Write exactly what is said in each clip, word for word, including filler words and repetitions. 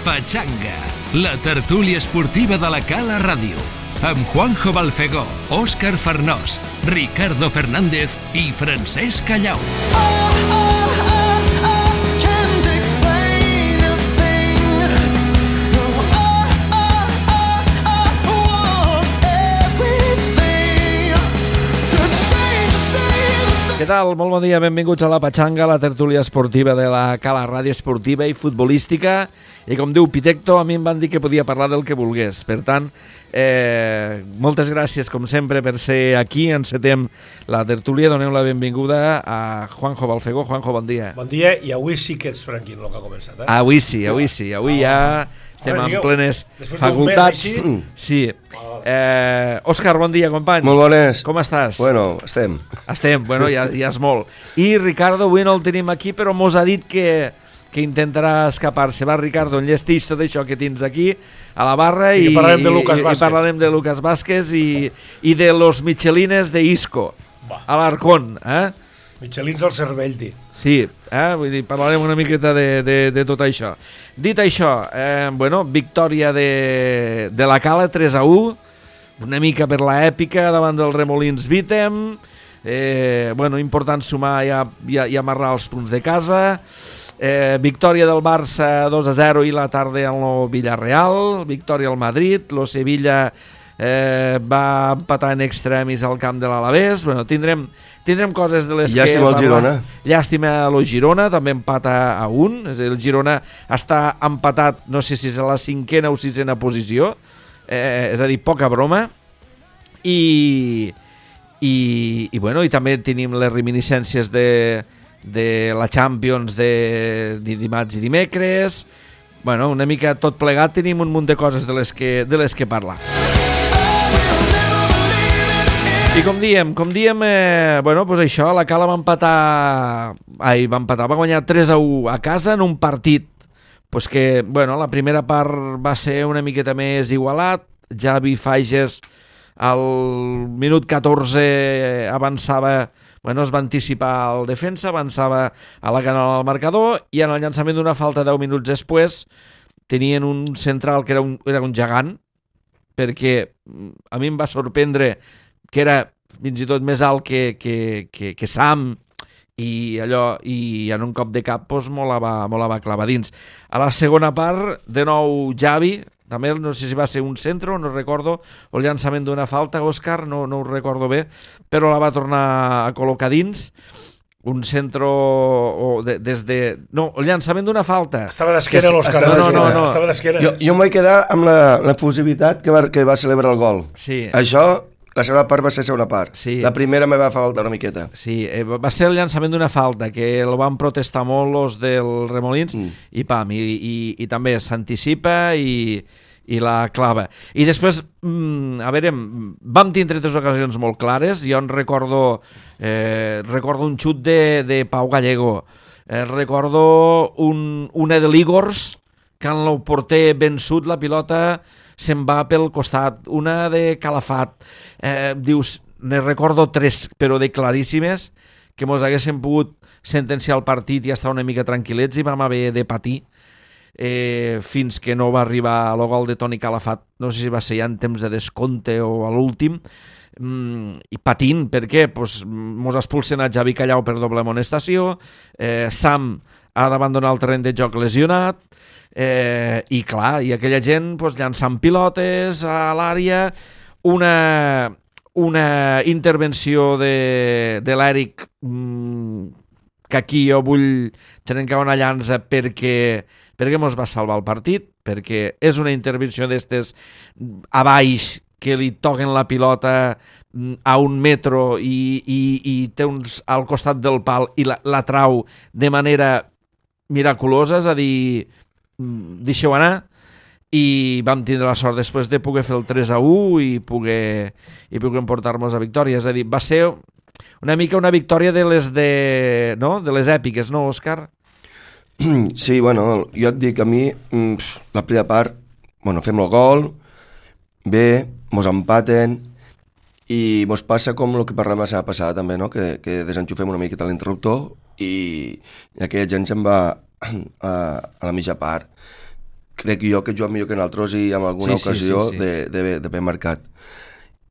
Pachanga, la tertúlia esportiva de la Cala Ràdio, amb Juanjo Balfegó, Òscar Farnós, Ricardo Fernández i Francesc Callau. Què tal? Molt bon dia, benvinguts a la Pachanga, la tertúlia esportiva de la Cala Ràdio esportiva i futbolística. I com diu Pitecto, a mi em van dir que podia parlar del que volgués. Per tant, eh, moltes gràcies, com sempre, per ser aquí. Encetem la tertúlia. Donem la benvinguda a Juanjo Balfegó. Juanjo, bon dia. Bon dia, i avui sí que ets franquin, el que ha començat. Eh? Avui sí, avui sí. Avui ja estem en plenes facultats. Sí. Eh, Òscar, bon dia, company. Molt bones. Com estàs? Bueno, estem. Estem, bueno, ja, ja és molt. I Ricardo avui no el tenim aquí, però mos ha dit que, que intentarà escapar-se. Va, Ricardo, enllestix tot això que tens aquí a la barra sí, i, parlarem de Lucas i, Vázquez. i parlarem de Lucas Vázquez i, i de los Michelines de Isco, Va. a l'Arcón, eh? Michelins al cervell, di. Sí, eh? Vull dir, parlarem una miqueta de, de, de tot això. Dit això, eh, bueno, victòria de, de la Cala, tres a u, una mica per la èpica davant del Remolins Vítem, eh, bueno, important sumar i, i, i amarrar els punts de casa, eh, victòria del Barça dos a zero i la tarda en el Villarreal, victòria al Madrid, lo Sevilla eh, va empatar en extremis al camp de l'Alavés, bueno, tindrem... Tindrem coses de les Llàstima que... el Girona. Llàstima a lo Girona, també empata a un. És a dir, el Girona està empatat, no sé si és a la cinquena o sisena posició. Eh, és a dir, poca broma. I, i, i, bueno, i també tenim les reminiscències de, de la Champions de, de dimarts i dimecres. Bueno, una mica tot plegat, tenim un munt de coses de les que, de les que parlar. I com diem, com diem, eh, bueno, pues això, la Cala va empatar, ai, va empatar, va guanyar tres a u a casa en un partit, pues que, bueno, la primera part va ser una miqueta més igualat, Javi Fages al minut catorze avançava, bueno, es va anticipar el defensa, avançava a la canal al marcador, i en el llançament d'una falta deu minuts després tenien un central que era un, era un gegant, perquè a mi em va sorprendre que era fins i tot més alt que, que, que, que Sam, i allò, i en un cop de cap pues, me la va, me la va clavar dins. A la segona part, de nou Javi, també no sé si va ser un centre, no recordo, o el llançament d'una falta, Òscar, no, no ho recordo bé, però la va tornar a col·locar dins, un centre o de, des de... No, el llançament d'una falta. Estava d'esquena l'Òscar. No, no, no. Estava d'esquena. Jo, jo em vaig quedar amb la, la fusivitat que va, que va celebrar el gol. Sí. Això... La segona part va ser segona part. Sí. La primera me va faltar una miqueta. Sí, eh, va ser el llançament d'una falta, que el van protestar molt els del Remolins, mm. i pam, i, i, i també s'anticipa i, i la clava. I després, mm, a veure, vam tindre tres ocasions molt clares. Jo en recordo, eh, recordo un xut de, de Pau Gallego, eh, recordo un, una de l'Igors, que en el porter vençut la pilota se'n va pel costat, una de Calafat, eh, dius, ne recordo tres, però de claríssimes, que mos haguessin pogut sentenciar el partit i estar una mica tranquil·lets, i vam haver de patir eh, fins que no va arribar el gol de Toni Calafat, no sé si va ser ja en temps de descompte o a l'últim, mm, i patint, per què? Pues, mos expulsen a Javi Callau per doble amonestació, eh, Sam ha d'abandonar el terreny de joc lesionat, Eh, i clar, i aquella gent pues, llançant pilotes a l'àrea, una, una intervenció de, de l'Eric, mmm, que aquí jo vull trencar una llança perquè, perquè mos va salvar el partit, perquè és una intervenció d'estes a baix, que li toquen la pilota a un metro i, i, i té uns al costat del pal i la, la trau de manera miraculosa, és a dir, deixeu anar, i vam tindre la sort després de poder fer el tres a u i poder, i poder emportar-nos a victòria. És a dir, va ser una mica una victòria de les de, no? de les èpiques, no, Òscar? Sí, bueno, jo et dic, a mi la primera part, bueno, fem el gol, bé, mos empaten, i mos passa com el que parlàvem la setmana passada també, no? que, que desenxufem una miqueta l'interruptor i, i aquella gent se'n va a, a la mitja part, crec jo que juga millor que nosaltres i en alguna Sí, sí, ocasió sí, sí. de- de- d'haver marcat.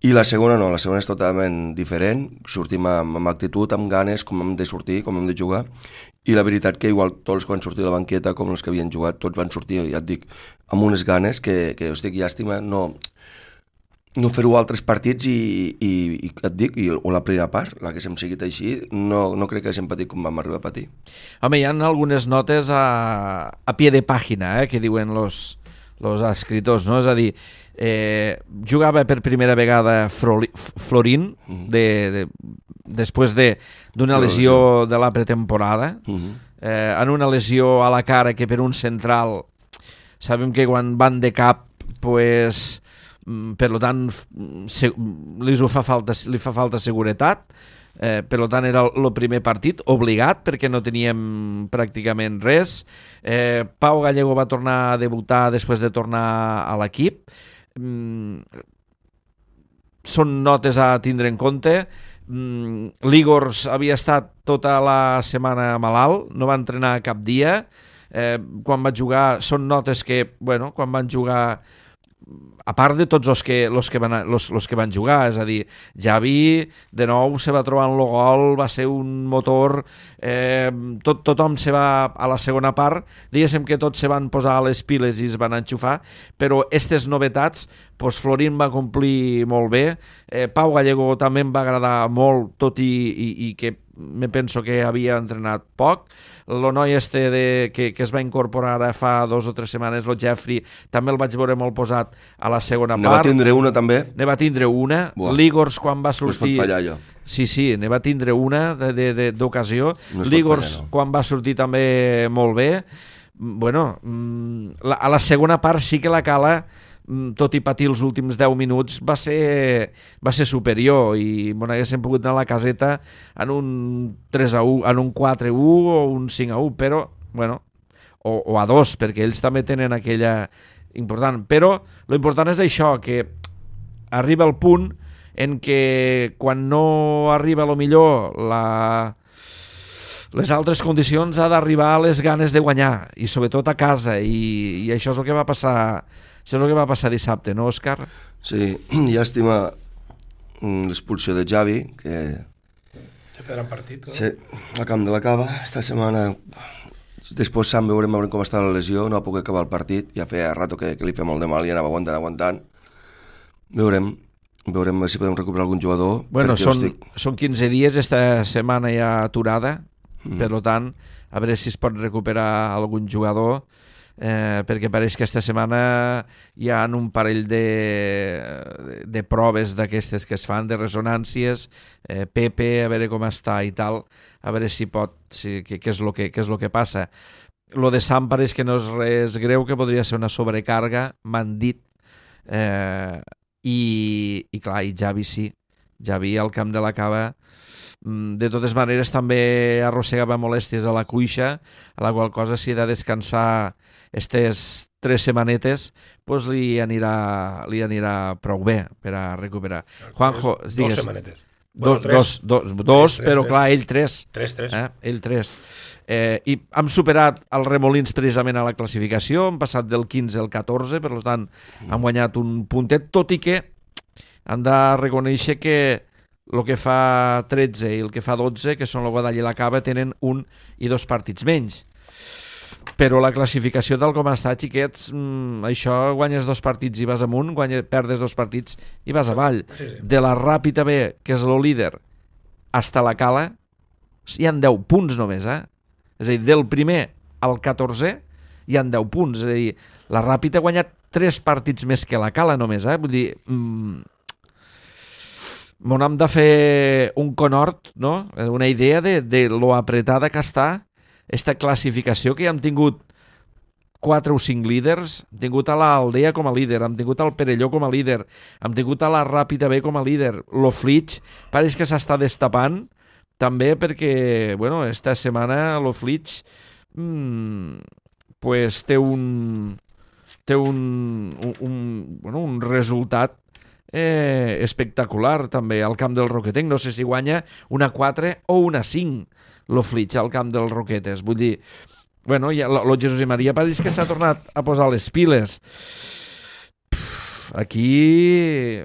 I la segona no, la segona és totalment diferent, sortim amb, amb actitud, amb ganes, com hem de sortir, com hem de jugar, i la veritat que igual tots que van sortir de la banqueta, com els que havien jugat, tots van sortir, ja et dic, amb unes ganes que, que hosti, que llàstima no, no fer-ho altres partits i, i, i et dic, i, o la primera part, la que s'hem seguit així, no, no crec que haguéssim patit com vam arribar a patir. Home, hi ha algunes notes a, a pie de pàgina, eh, que diuen los, los escriptors, no? És a dir, eh, jugava per primera vegada Froli, Florín de, de, després de d'una De la lesió de la pretemporada, Uh-huh. eh, en una lesió a la cara que per un central sabem que quan van de cap pues, mm, per lo tant f- se, li fa falta, li fa falta seguretat, eh, per lo tant era el primer partit obligat perquè no teníem pràcticament res. eh, Pau Gallego va tornar a debutar després de tornar a l'equip. mm, són notes a tindre en compte. mm, L'Igors havia estat tota la setmana malalt, no va entrenar cap dia. eh, quan va jugar, són notes que, bueno, quan van jugar, a part de tots els que, los que, van, los, los que van jugar, és a dir, Javi de nou se va trobar en el gol, va ser un motor, eh, tot, tothom se va a la segona part, diguéssim que tots se van posar a les piles i es van enxufar, però aquestes novetats, doncs Florín va complir molt bé, eh, Pau Gallego també em va agradar molt, tot i, i, i que me penso que havia entrenat poc. El noi este de, que, que es va incorporar ara fa dos o tres setmanes, el Jeffrey, també el vaig veure molt posat a la segona Ne part. va tindre una també, Ne va tindre una. Buah. L'Igors quan va no es pot sortir... fallar allò. Sí, sí, ne va tindre una de- de- de- d'ocasió. No es pot L'Igors fallar, no. quan va sortir també molt bé. Mm, Bueno, mm, la, a la segona part sí que la Cala, mm, tot i patir els últims deu minuts, va ser, va ser superior i bon, haguéssim pogut anar a la caseta en un tres a u, en un quatre a u o un cinc a u, però, bueno, o, o a dos, perquè ells també tenen aquella important. Però lo important és això, que arriba el punt en què quan no arriba a lo millor la, les altres condicions ha d'arribar a les ganes de guanyar i sobretot a casa i, i això és el que va passar això és el que va passar dissabte, no, Òscar? Sí, llàstima mm, l'expulsió de Javi, que Se perdrà un partit, no? sí, al camp de la Cava, esta setmana després Sam veurem, veurem com està la lesió, no va poder acabar el partit, ja feia rato que, que li feia molt de mal i anava aguantant, aguantant. Veurem, veurem si podem recuperar algun jugador. Bueno, perquè, són, hosti, són quinze dies, esta setmana ja aturada, Mm. per tant, a veure si es pot recuperar algun jugador, eh, perquè pareix que esta setmana hi ha un parell de, de, de proves d'aquestes que es fan, de resonàncies, eh, Pepe, a veure com està i tal, a veure si pot, si, què, què, és lo que, què és lo que passa. Lo de Sam pareix que no és res greu, que podria ser una sobrecarga, m'han dit, eh, i, i clar, i Javi sí, Javi al camp de la Cava. De totes maneres també arrossegava molèsties a la cuixa, a la qual cosa si ha de descansar aquestes tres setmanetes pues li anirà, li anirà prou bé per a recuperar. Juanjo, Dos digues, setmanetes. dos, Bueno, tres. dos, dos, dos Tres, tres, però tres. clar, ell tres. Tres, tres. Eh? Ell tres. Eh, I hem superat els Remolins precisament a la classificació, hem passat del quinze al catorze, per tant hem guanyat un puntet, tot i que hem de reconèixer que el que fa tretze i el que fa dotze, que són el Guadall i la Cava, tenen un i dos partits menys. Però la classificació tal com està, xiquets, mmm, això guanyes dos partits i vas amunt, guanyes, perdes dos partits i vas avall. Sí, sí. De la Ràpita B, que és el líder, hasta la Cala, hi han deu punts només, eh? És a dir, del primer al catorzè hi han deu punts. És a dir, la Ràpita ha guanyat tres partits més que la Cala només, eh? Vull dir... Mmm, Mon hem de fer un conhort, no? Una idea de, de lo apretada que està esta classificació, que ja hem tingut quatre o cinc líders, hem tingut a l'Aldea com a líder, hem tingut al Perelló com a líder, hem tingut a la Ràpita B com a líder, lo Flitx pareix que s'està destapant també perquè, bueno, esta setmana lo Flitx mmm, pues té un té un, un, un, bueno, un resultat Eh, espectacular també al camp del Roquetenc, no sé si guanya una quatre o una cinc lo Flitx al camp del Roquetes, vull dir bueno, ja, lo, lo Jesús i Maria pareix que s'ha tornat a posar les piles. Pff, aquí...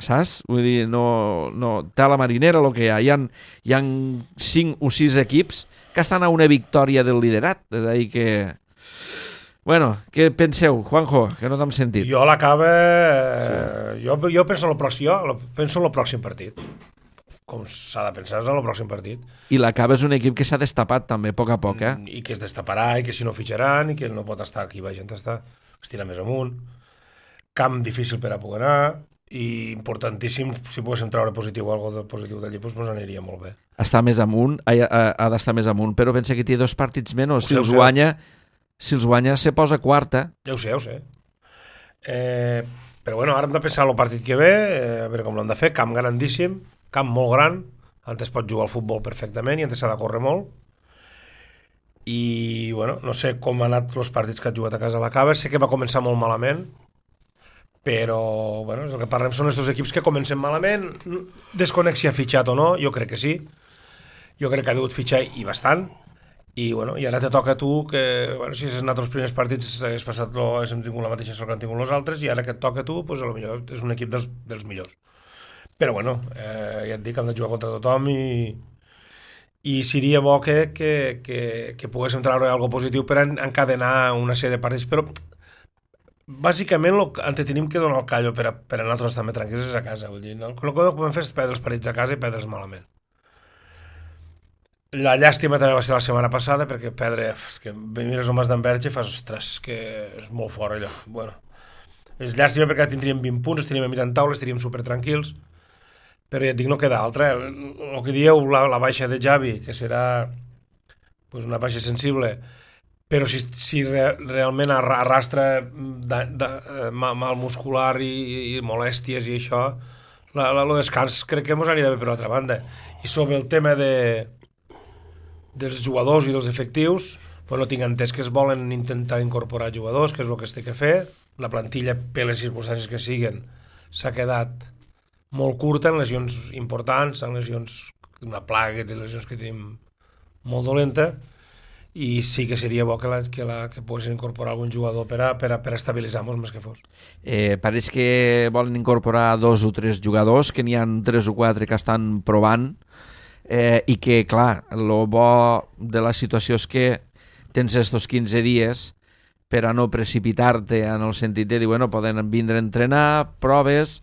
Saps? Vull dir, no, no, té la marinera el que hi ha. Hi ha, hi ha cinc o sis equips que estan a una victòria del liderat. És a dir que... Bueno, què penseu, Juanjo? Que no t'hem sentit. Jo l'acaba... Sí. Jo, jo penso en el pròxim, jo penso en el pròxim partit. Com s'ha de pensar en el pròxim partit. I l'acaba és un equip que s'ha destapat també, a poc a poc, eh? I que es destaparà, i que si no fitxaran, i que no pot estar aquí, va gent està, es tira més amunt. Camp difícil per a poder anar, i importantíssim, si poguéssim treure positiu o alguna cosa positiu d'allí, doncs ens aniria molt bé. Està més amunt, ha, ha, ha d'estar més amunt, però pensa que té dos partits menys. Si sé, els guanya, si els guanya se posa quarta. Ja ho sé, ja ho sé. Eh, però bueno, ara hem de pensar en el partit que ve, eh, a veure com l'hem de fer, camp grandíssim, camp molt gran, antes pot jugar al futbol perfectament i antes s'ha de córrer molt. I, bueno, no sé com han anat els partits que ha jugat a casa a la Cava, sé que va començar molt malament, però, bueno, el que parlem són aquests equips que comencen malament, desconec si ha fitxat o no, jo crec que sí, jo crec que ha degut fitxar i bastant, i, bueno, i ara te toca a tu que, bueno, si has anat els primers partits has passat, lo, hem tingut la mateixa sort que han tingut els altres, i ara que et toca a tu, doncs a lo millor és un equip dels, dels millors. Però, bueno, eh, ja et dic, han de jugar contra tothom i i seria bo que, que, que, que poguéssim treure alguna cosa positiu per encadenar una sèrie de partits, però bàsicament el que tenim que donar el callo per a, per a nosaltres també tranquils és a casa, vull dir, no? El que no podem fer és perdre els partits a casa i perdre'ls malament. La llàstima també va ser la setmana passada, perquè perdre, és que mires el Mas d'Enverge i fas, ostres, que és molt fort allò. Bueno, és llàstima perquè tindríem vint punts, estaríem a mitjan taula, estaríem super tranquils, però ja et dic, no queda altra. El, el que dieu, la, la baixa de Javi, que serà pues, una baixa sensible, però si, si re, realment arrastra de, de, de, mal muscular i, i molèsties i això, la, la, el descans crec que ens anirà bé per l'altra banda. I sobre el tema de, dels jugadors i dels efectius, pues no tinc entès que es volen intentar incorporar jugadors, que és el que es té que fer. La plantilla, per les circumstàncies que siguen, s'ha quedat molt curta en lesions importants, en lesions d'una plaga, de lesions que tenim molt dolenta, i sí que seria bo que, la, que, la, que poguessin incorporar algun jugador per a, per a, per a estabilitzar-nos més que fos. Eh, pareix que volen incorporar dos o tres jugadors, que n'hi ha tres o quatre que estan provant, eh, i que, clar, el bo de la situació és que tens estos quinze dies per a no precipitar-te en el sentit de dir, bueno, poden vindre a entrenar, proves,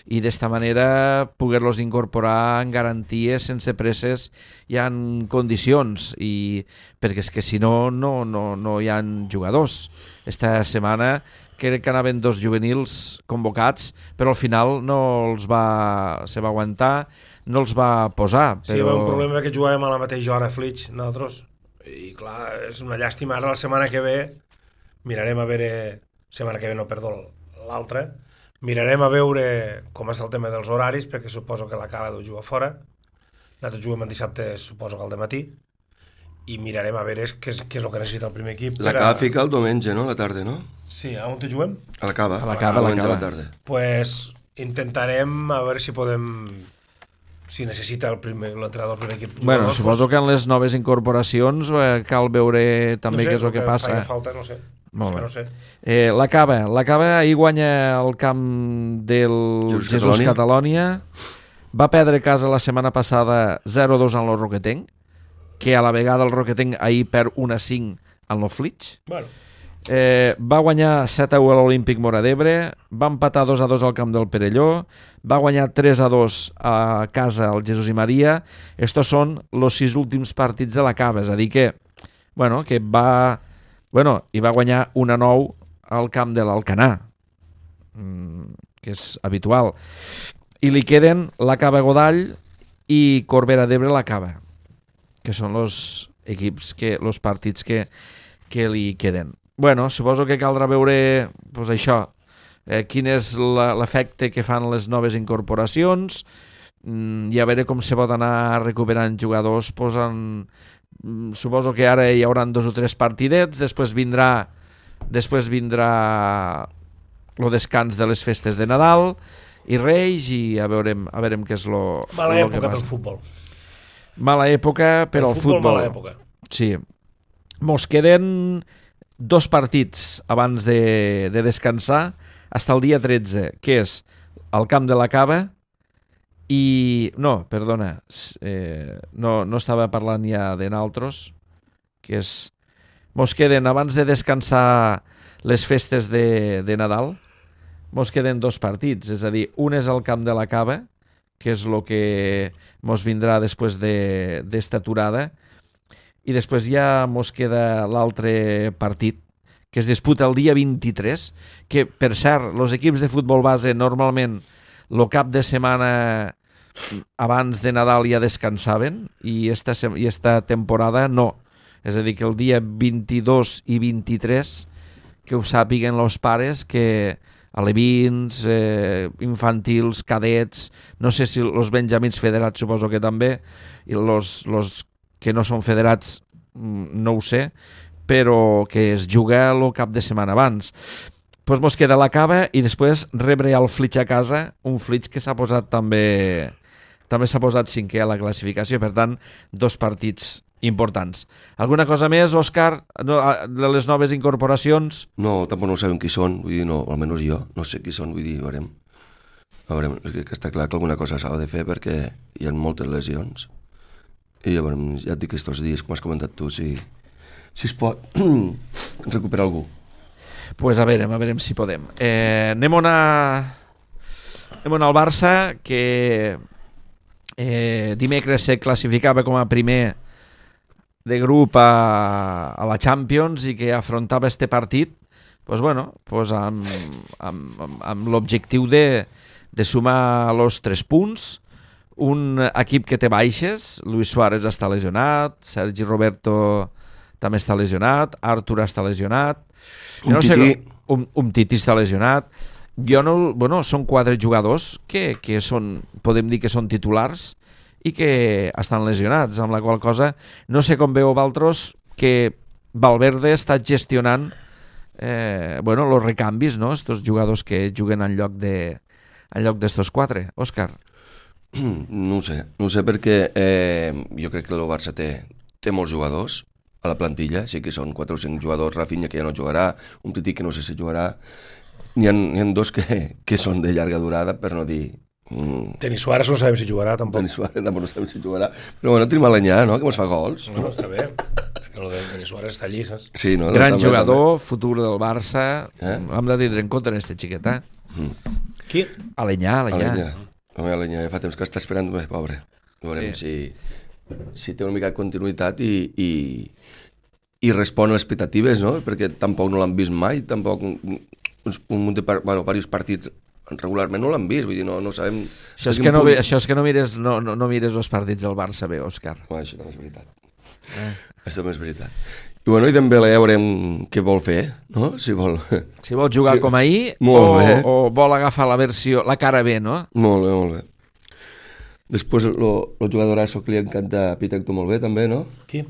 i d'esta manera poder-los incorporar en garanties, sense presses i en condicions, i perquè és que si no, no, no, no hi ha jugadors. Esta setmana crec que anaven dos juvenils convocats, però al final no els va, se va aguantar, no els va posar. Però... Sí, hi va un problema que jugàvem a la mateixa hora, Flix, nosaltres, i clar, és una llàstima. Ara la setmana que ve mirarem a veure, setmana que ve no, perdó, l'altra, mirarem a veure com està el tema dels horaris, perquè suposo que la Cala deu jugar fora, nosaltres juguem el dissabte, suposo que al dematí, i mirarem a veure què és, què és el que necessita el primer equip. La Cava a... fica el diumenge, no? A la tarda, no? Sí, a on te juguem? A la Cava, a la Cava, a la, a la tarda. Pues intentarem a veure si podem, si necessita el primer, l'entrenador del primer equip. Bueno, jugadors, suposo pues... que en les noves incorporacions eh, cal veure també no sé, què és el que, que passa. No sé, falta, no sé. Molt bé. No sé. Eh, la Cava, la Cava ahir guanya el camp del Jesús, Jesús Catalònia. Va perdre casa la setmana passada zero a dos en el Roquetenc, que a la vegada el Roquetenc ahir perd un a cinc en el Flix. Bueno. Eh, va guanyar set a u a l'Olímpic Móra d'Ebre, va empatar dos a dos al camp del Perelló, va guanyar tres a dos a casa al Jesús i Maria. Estos són els sis últims partits de la Cava, és a dir que, bueno, que va... Bueno, i va guanyar un a nou al camp de l'Alcanar, que és habitual. I li queden la Cava Godall i Corbera d'Ebre la Cava, que són els equips, que els partits que, que li queden. Bueno, suposo que caldrà veure pues, això, eh, quin és l'efecte que fan les noves incorporacions, i a veure com se pot anar recuperant jugadors, pues, en... suposo que ara hi haurà dos o tres partidets, després vindrà després vindrà el descans de les festes de Nadal i Reis, i a veurem, a veurem què és lo, mala lo època que passa. pel futbol. Mala època per al futbol. Mala època. Sí. mos queden dos partits abans de, de descansar fins el dia tretze, que és al Camp de la Cava i... No, perdona, eh, no, no estava parlant ja de naltros, que és... Mos queden, abans de descansar les festes de, de Nadal, mos queden dos partits, és a dir, un és al Camp de la Cava, que és el que mos vindrà després de, d'esta aturada, i després ja mos queda l'altre partit, que es disputa el dia vint-i-tres, que, per cert, els equips de futbol base normalment el cap de setmana abans de Nadal ja descansaven, i esta, i esta temporada no. És a dir, que el dia vint-i-dos i vint-i-tres, que ho sàpiguen els pares, que alevins, eh, infantils, cadets, no sé si els benjamins federats suposo que també, i els que no són federats no ho sé, però que es juga el cap de setmana abans. Doncs mos queda la Cava i després rebre el Flitx a casa, un Flitx que s'ha posat també també s'ha posat cinquè a la classificació, per tant, dos partits importants. Alguna cosa més, Òscar, de les noves incorporacions? No, tampoc no sabem qui són, vull dir, no, almenys jo, no sé qui són, vull dir, veurem. Veurem, que està clar que alguna cosa s'ha de fer perquè hi ha moltes lesions. I ja, veurem, ja et dic aquests dies, com has comentat tu, si, si es pot recuperar algú. Doncs pues a veurem, a veurem si podem. Eh, anem on a... anem on al Barça, que eh, dimecres se classificava com a primer de grup a, a la Champions i que afrontava este partit pues bueno, pues amb, amb, amb, amb l'objectiu de, de sumar els tres punts. Un equip que té baixes, Luis Suárez està lesionat, Sergi Roberto també està lesionat, Artur està lesionat, un, no tití. sé, un, un Titi està lesionat. Jo no, bueno, són quatre jugadors que, que són, podem dir que són titulars i que estan lesionats, amb la qual cosa no sé com veu Valtros que Valverde està gestionant eh, bueno, els recanvis, no? Estos jugadors que juguen en lloc de en lloc d'estos quatre. Òscar? No ho sé, no ho sé perquè eh, jo crec que el Barça té, té molts jugadors a la plantilla, sí que són quatre o cinc jugadors, Rafinha que ja no jugarà, un Titi que no sé si jugarà, n'hi ha, n'hi ha dos que, que són de llarga durada, per no dir... Mm. Denis Suárez no sabem si jugarà tampoc. Denis Suárez tampoc no sabem si jugarà, però bueno, tenim Alenyà, no?, que mos fa gols. No, està bé, que el de Denis Suárez està allí, saps? Sí, no, no, gran també, jugador, també. Futur del Barça, eh? Hem de tindre en compte en este xiquet, eh? Mm. Qui? Alenyà, Alenyà. Alenyà. Home, Alenyà, ja fa temps que està esperant, bé, pobre. Veurem sí. si, si té una mica de continuïtat i, i, i respon a les expectatives, no?, perquè tampoc no l'han vist mai, tampoc un, un munt de par, bueno, diversos partits regularment no l'han vist, vull dir, no, no sabem... Això és, que no, punt... això és que no mires, no, no, no mires els partits del Barça bé, Òscar. No, això també és veritat. Eh. Això també és veritat. I bueno, i Dembélé ja veurem què vol fer, no? Si vol... Si vol jugar sí. com ahir o, o vol agafar la versió, la cara B, no? Molt bé, molt bé. Després el jugadorasso que li encanta a Pitecto molt bé, també, no? Qui?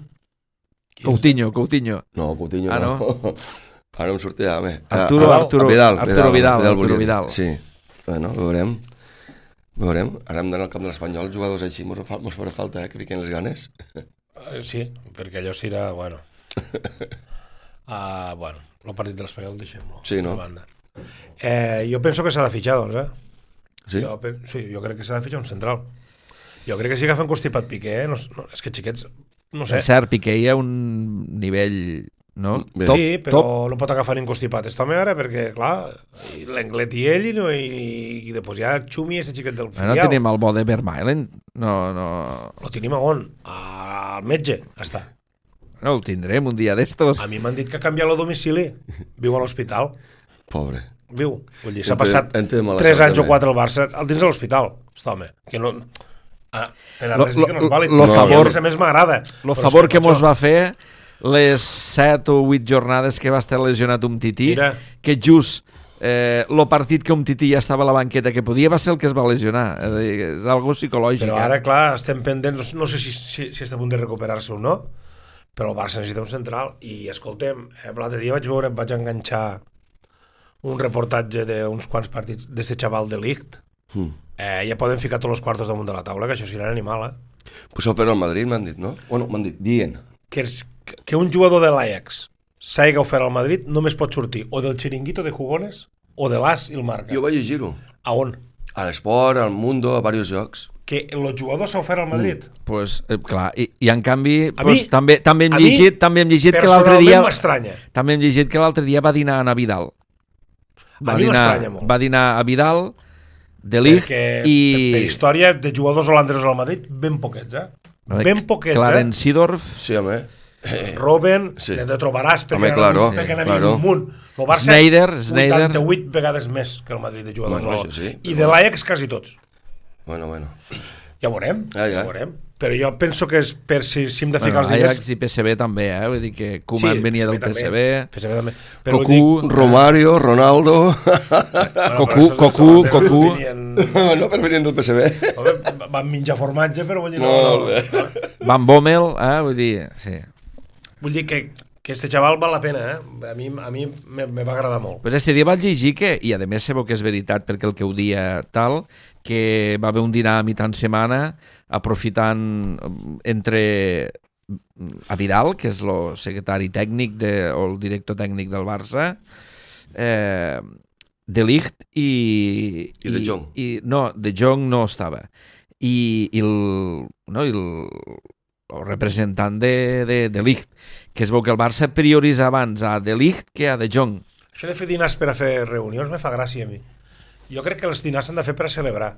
Qui Coutinho, Coutinho. No, Coutinho ah, no. no. Ara em sortirà, home. Arturo, a, Arturo, a Vidal, Arturo Vidal, Vidal, Vidal, Arturo Vidal. Sí, bueno, ho veurem. Ho veurem. Ara hem d'anar al camp de l'Espanyol, jugadors així, mos farà falta, eh, que fiquen les ganes. Sí, perquè allò serà, bueno... uh, bueno, el partit de l'Espanyol deixem-lo. Sí, no? Banda. Eh, jo penso que s'ha de fitxar, doncs, eh? Sí? Jo, sí, jo crec que s'ha de fitxar un central. Jo crec que sí que fan constipat Piqué, eh? No, no, és que xiquets, no sé. En cert, Piqué hi ha un nivell... No? Top, sí, però top. No pot agafar ningú constipat este home ara perquè, clar, l'Englet i ell i, no, i, i després ja Xumi i aquest xiquet del filial. No tenim el bo de Vermaelen? No, no... Lo tenim a on? Al metge, està. No, el tindrem un dia d'estos. A mi m'han dit que ha canviat el domicili. Viu a l'hospital. Pobre. Viu. Vull dir, s'ha passat tres anys també. o quatre al Barça al dins de l'hospital. Està, home. Que no... Ah, per a res dir que no és vàlid. Lo no, favor, a més m'agrada. Lo favor que, que mos va fer les set o vuit jornades que va estar lesionat un Tití, Mira. que just eh, el partit que un Tití ja estava a la banqueta que podia va ser el que es va lesionar. És, dir, és algo psicològic. Però ara, clar, estem pendents, no sé si, si, si està a punt de recuperar-se o no, però el Barça necessita un central i, escoltem, eh, l'altre dia vaig veure, vaig enganxar un reportatge d'uns quants partits d'aquest xaval de Ligt. Mm. Eh, ja poden ficar tots els quartos damunt de la taula, que això serà animal, eh? Pues ho farà el Madrid, m'han dit, no? Bueno, m'han dit, dient. Que, és, que un jugador de l'Ajax s'hagi ofert al Madrid només pot sortir o del Chiringuito de Jugones o de l'As i el Marca. Jo vaig llegir-ho. A on? A l'Esport, al Mundo, a diversos llocs. Que el jugador s'ha ofert al Madrid. Mm. Pues, eh, clar, i, i en canvi A pues, mi- també, també hem a mi, llegit, també hem llegit que l'altre Personalment dia m'estranya. també hem llegit que l'altre dia va dinar a Vidal. Va A mi dinar, m'estranya molt. va dinar a Vidal, De Ligt Perquè i per, per història de jugadors holandesos al Madrid, ben poquets, eh? Ben poquets, Clarence Seedorf, Sí, home. eh? Robben, Sí. sí. te trobaràs perquè, Home, claro, perquè n'hi claro. havia un munt. El Barça, Sneijder, Sneijder. vuitanta-vuit vegades més que el Madrid de jugadors. Bueno, no? això sí, I però- de l'Ajax quasi tots. Bueno, bueno. Ja ho veurem, Ah, ja. ja ho veurem. Però jo penso que és per si, si hem de ficar bueno, els diners... Ajax i P S V també, eh? Vull dir que Koeman venia del P S V, P S V també. Però vull Cocu, Romario, Ronaldo... Bueno, Cocu, però Cocu, estos Cocu. tenien- no, però venien del P S V. Home, van menjar formatge, però vull dir... Molt No, bé. no, no. Van Bommel, eh? Vull dir, sí. Vull dir que, que este xaval val la pena, eh? A mi, a mi me, me va agradar molt. Pues este dia vaig llegir que, i a més sabeu que és veritat perquè el que ho dia tal, que va haver un dinar a mitjan setmana aprofitant mm, entre mm, a Vidal, que és el secretari tècnic de, o el director tècnic del Barça, eh, De Ligt i... I De Jong. I, no, De Jong no estava. I, i el, no, i el, el representant de, de, de Ligt, que es veu que el Barça prioritza abans a De Ligt que a De Jong. Això de fer dinars per a fer reunions me fa gràcia a mi. Jo crec que els dinars s'han de fer per a celebrar.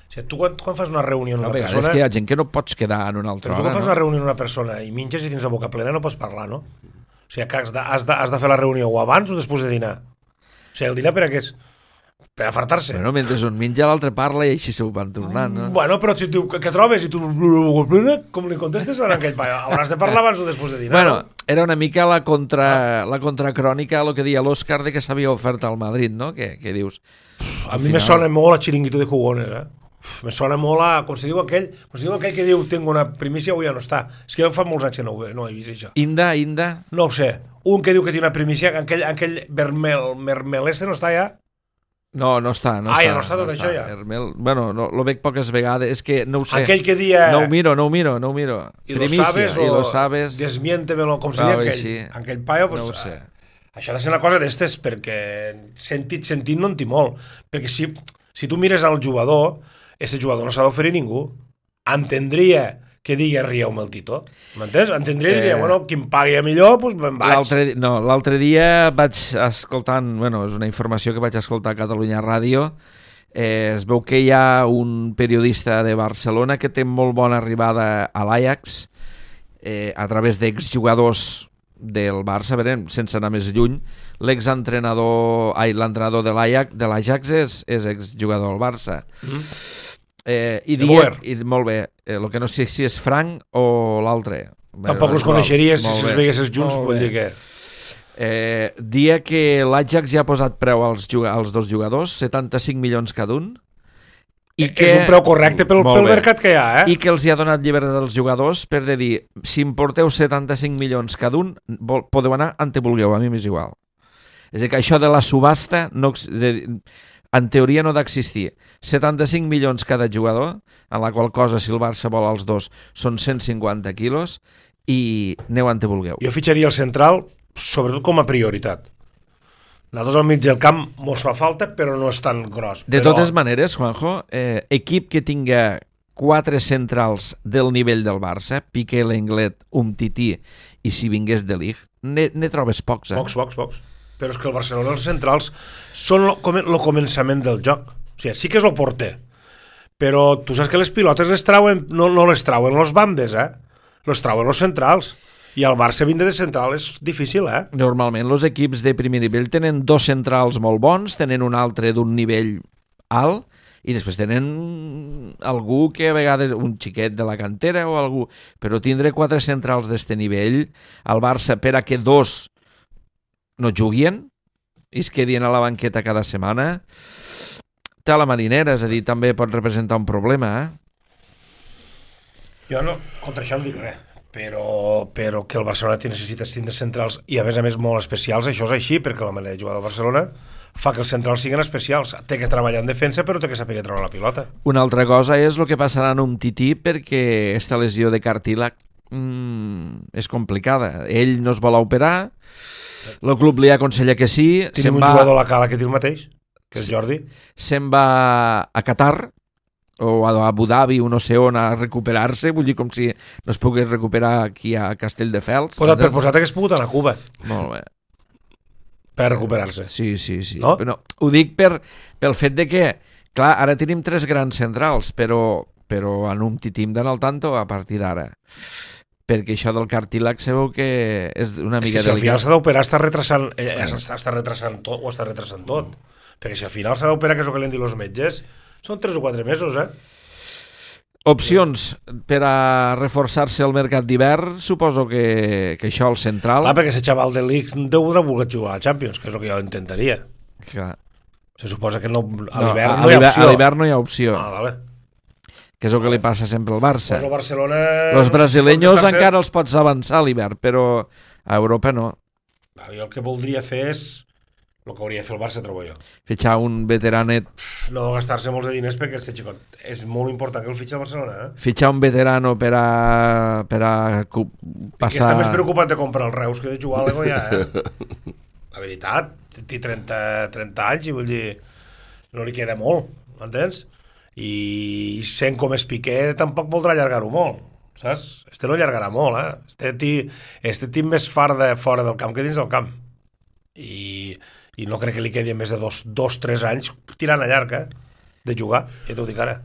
O sigui, tu quan, quan fas una reunió amb A una vegades persona... és que hi ha gent que no pots quedar en una altra Però tu hora, quan fas no? una reunió amb una persona i minges i tens la boca plena no pots parlar, no? O sigui, que has de, has de, has de fer la reunió o abans o després de dinar. O sigui, el dinar per a què és? Per a fartar-se. Bueno, mentre un menja l'altre parla i així s'ho van tornant, no? Bueno, però si et diu, què trobes? I tu, com li contestes a aquell paio? Hauràs de parlar abans o després de dinar, Bueno, no? era una mica la, contra, la contracrònica a lo que deia l'Òscar de que s'havia ofert al Madrid, no? Que, que dius... A mi me sona molt a Chiringuito de Jugones, eh? Uf, me sona molt a... Com si diu aquell, com si diu aquell que diu tengo una primícia, avui ja no està. És que jo fa molts anys que no, ho- no he vist això. Inda, Inda... No ho sé. Un que diu que té una primícia, aquell, aquell vermel, mermeleste no està ja? No, no està, no Ah, està. ja no està tot això, ja. Hermel... Bueno, no, lo veig poques vegades, és que no ho sé. Aquell que dia... No ho miro, no ho miro, no ho miro. I lo Primícia, sabes i o lo sabes... desmiéntemelo, com si Ah, deia oi, aquell. sí. Aquell paio, pues, No ho sé. això ha de ser una cosa d'estes, perquè sentit, sentit no en té molt. Perquè si, si tu mires al jugador, aquest jugador no s'ha d'oferir ningú. Entendria que digui rieu-me el Tito. M'entens? Entendria i diria, Eh. bueno, qui em pagui a millor, doncs me'n vaig. L'altre no, l'altre dia vaig escoltant, bueno, és una informació que vaig escoltar a Catalunya Ràdio, eh, es veu que hi ha un periodista de Barcelona que té molt bona arribada a l'Ajax eh, a través d'exjugadors del Barça, a veure, sense anar més lluny, l'exentrenador, ai, l'entrenador de l'Ajax, de l'Ajax és, és exjugador del Barça. Mm. Eh, i De dia, Boer. i, molt bé, el eh, que no sé si és Frank o l'altre. Tampoc Bé, els és igual. coneixeries si Molt els bé. veiguessis junts, Molt vull bé. dir que... Eh, dia que l'Ajax ja ha posat preu als, als dos jugadors, setanta-cinc milions cada un, i que, És un preu correcte pel, Molt pel bé. mercat que hi ha, eh? i que els hi ha donat llibertat als jugadors per de dir, si em porteu setanta-cinc milions cada un, vol, podeu anar on te vulgueu, a mi m'és igual. És a dir, que això de la subhasta no, ex- de, en teoria no ha d'existir. setanta-cinc milions cada jugador, en la qual cosa, si el Barça vol els dos, són cent cinquanta quilos, i aneu on te vulgueu. Jo fitxaria el central, sobretot com a prioritat. Nosaltres al mig del camp mos fa falta, però no és tan gros. De però... totes maneres, Juanjo, eh, equip que tinga quatre centrals del nivell del Barça, Piqué, Lenglet, Umtiti i si vingués de Ligt, ne, ne trobes pocs, eh? Pocs, pocs, pocs. Però és que el Barcelona, els centrals, són el començament del joc. O sigui, sí que és el porter, però tu saps que les pilotes les trauen, no, no les trauen los bandes, eh? Les trauen los centrals. I el Barça vindre de central és difícil, eh? Normalment els equips de primer nivell tenen dos centrals molt bons, tenen un altre d'un nivell alt, i després tenen algú que a vegades, un xiquet de la cantera o algú, però tindre quatre centrals d'este nivell, el Barça, per a que dos no juguin i es quedin a la banqueta cada setmana, té a la marinera, és a dir, també pot representar un problema, eh? Jo no, contra això no dic res, però, però que el Barcelona té necessita tindre centrals i a més a més molt especials, això és així, perquè la manera de jugar del Barcelona fa que els centrals siguin especials. Té que treballar en defensa, però té que saber treure la pilota. Una altra cosa és el que passarà en un tití perquè esta lesió de cartílag mm, és complicada. Ell no es vol operar, el club li aconsella que sí. Tenim un va, jugador a la cala que té el mateix, que és Jordi. Se'n va a Qatar o a Abu Dhabi o no sé on a recuperar-se, vull dir com si no es pogués recuperar aquí a Castelldefels. Posat per posat hagués pogut anar a Cuba Molt bé. per recuperar-se. Sí, sí, sí. No? Però ho dic per, pel fet de que, clar, ara tenim tres grans centrals, però, però en un titim d'anar al tanto a partir d'ara. Perquè això del cartílag sabeu que és una És mica que si al final delicat. s'ha d'operar està retrasant, eh, està, està retrasant tot, o està retrasant tot. Perquè si al final s'ha d'operar, que és el que li han dit els metges, són tres o quatre mesos, eh? Opcions per a reforçar-se al mercat d'hivern, suposo que, que això al central... Clar, perquè ese xaval de l'X deu haver volgut jugar a la Champions, que és el que jo intentaria. Clar. Se suposa que no, a No, l'hivern a no hi ha l'hivern- opció. A l'hivern no hi ha opció, Ah, vale. que és el que li passa sempre al Barça. Pues el Barcelona... Els brasileños pot estar encara els pots avançar a l'hivern, però a Europa no. sent- Jo el que voldria fer és el que hauria de fer el Barça, trobo jo. Fitxar un veteranet, No gastar-se molts de diners perquè este xicot és molt important que el fitxi al Barcelona, eh? fitxar un veterano per a, per a cu- Que està passar... més preocupat de comprar el Reus que de jugar a l'Ego ja, eh? La veritat, té trenta, trenta anys i vull dir, no li queda molt, m'entens? I sent com és Piqué tampoc voldrà allargar-ho molt, saps? Este no allargarà molt, eh? Este tí, este tí més farda fora del camp que dins del camp. I, i no crec que li quedi més de dos, dos tres anys tirant a llarg, eh? De jugar, ja t'ho dic ara.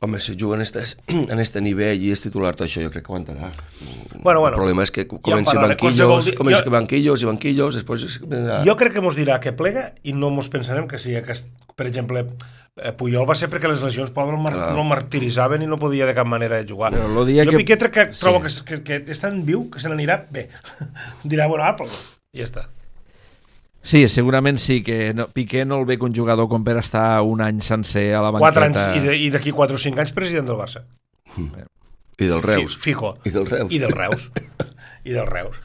Home, si juga en este, en este nivell i és titular, tot això jo crec que aguantarà. Bueno, bueno. El problema és que comenci parlaré, banquillos, qualsevol di- comenci jo- banquillos i banquillos, després... Ja. Jo crec que mos dirà que plega i no mos pensarem que sigui aquest, per exemple, eh, Puyol va ser perquè les lesions Pablo el, mar Clar. no el martiritzaven i no podia de cap manera jugar. Però lo dia jo que- Piqué crec que sí. trobo que, que, que és tan viu que se n'anirà bé. Dirà, bueno, ah, però i ja està. Sí, segurament sí, que no, Piqué no el ve que un jugador com per estar un any sencer a la Quatre anys banqueta. i de- i d'aquí quatre o cinc anys president del Barça. I del Reus. Fi- Fijo. I del Reus. I del Reus. I del Reus.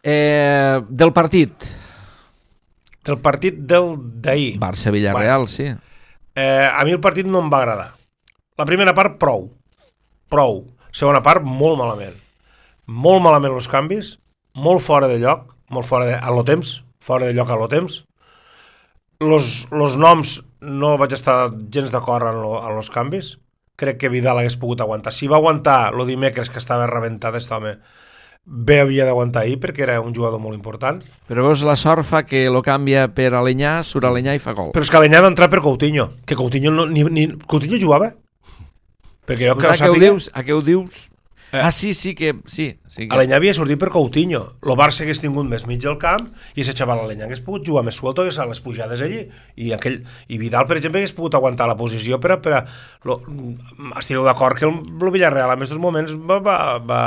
Eh, del partit, Del partit del d'ahir. Barça-Villarreal, sí. Eh, a mi el partit no em va agradar. La primera part, prou. Prou. Segona part, molt malament. Molt malament els canvis, molt fora de lloc, molt fora de... a lo temps, fora de lloc a lo temps. Los, los noms no vaig estar gens d'acord en, lo, en los canvis. Crec que Vidal hagués pogut aguantar. Si va aguantar lo dimecres que estava rebentat aquest home, bé havia d'aguantar ahir perquè era un jugador molt important. Però veus, la sort fa que lo canvia per Alenyà, surt Alenyà i fa gol. Però és que Alenyà va entrar per Coutinho, que Coutinho no, ni, ni, Coutinho jugava? Perquè jo que a ho què ho sàpiga, dius? A què ho dius? Eh. Ah, sí, sí que... Sí, sí que... Alenyà havia sortit per Coutinho. El Barça hagués tingut més mig del camp i ese xaval Alenyà hagués pogut jugar més suelto, hagués a les pujades allí. I, aquell, i Vidal, per exemple, hagués pogut aguantar la posició per a... Per a lo, estireu d'acord que el, el Villarreal en aquests moments va, va, va,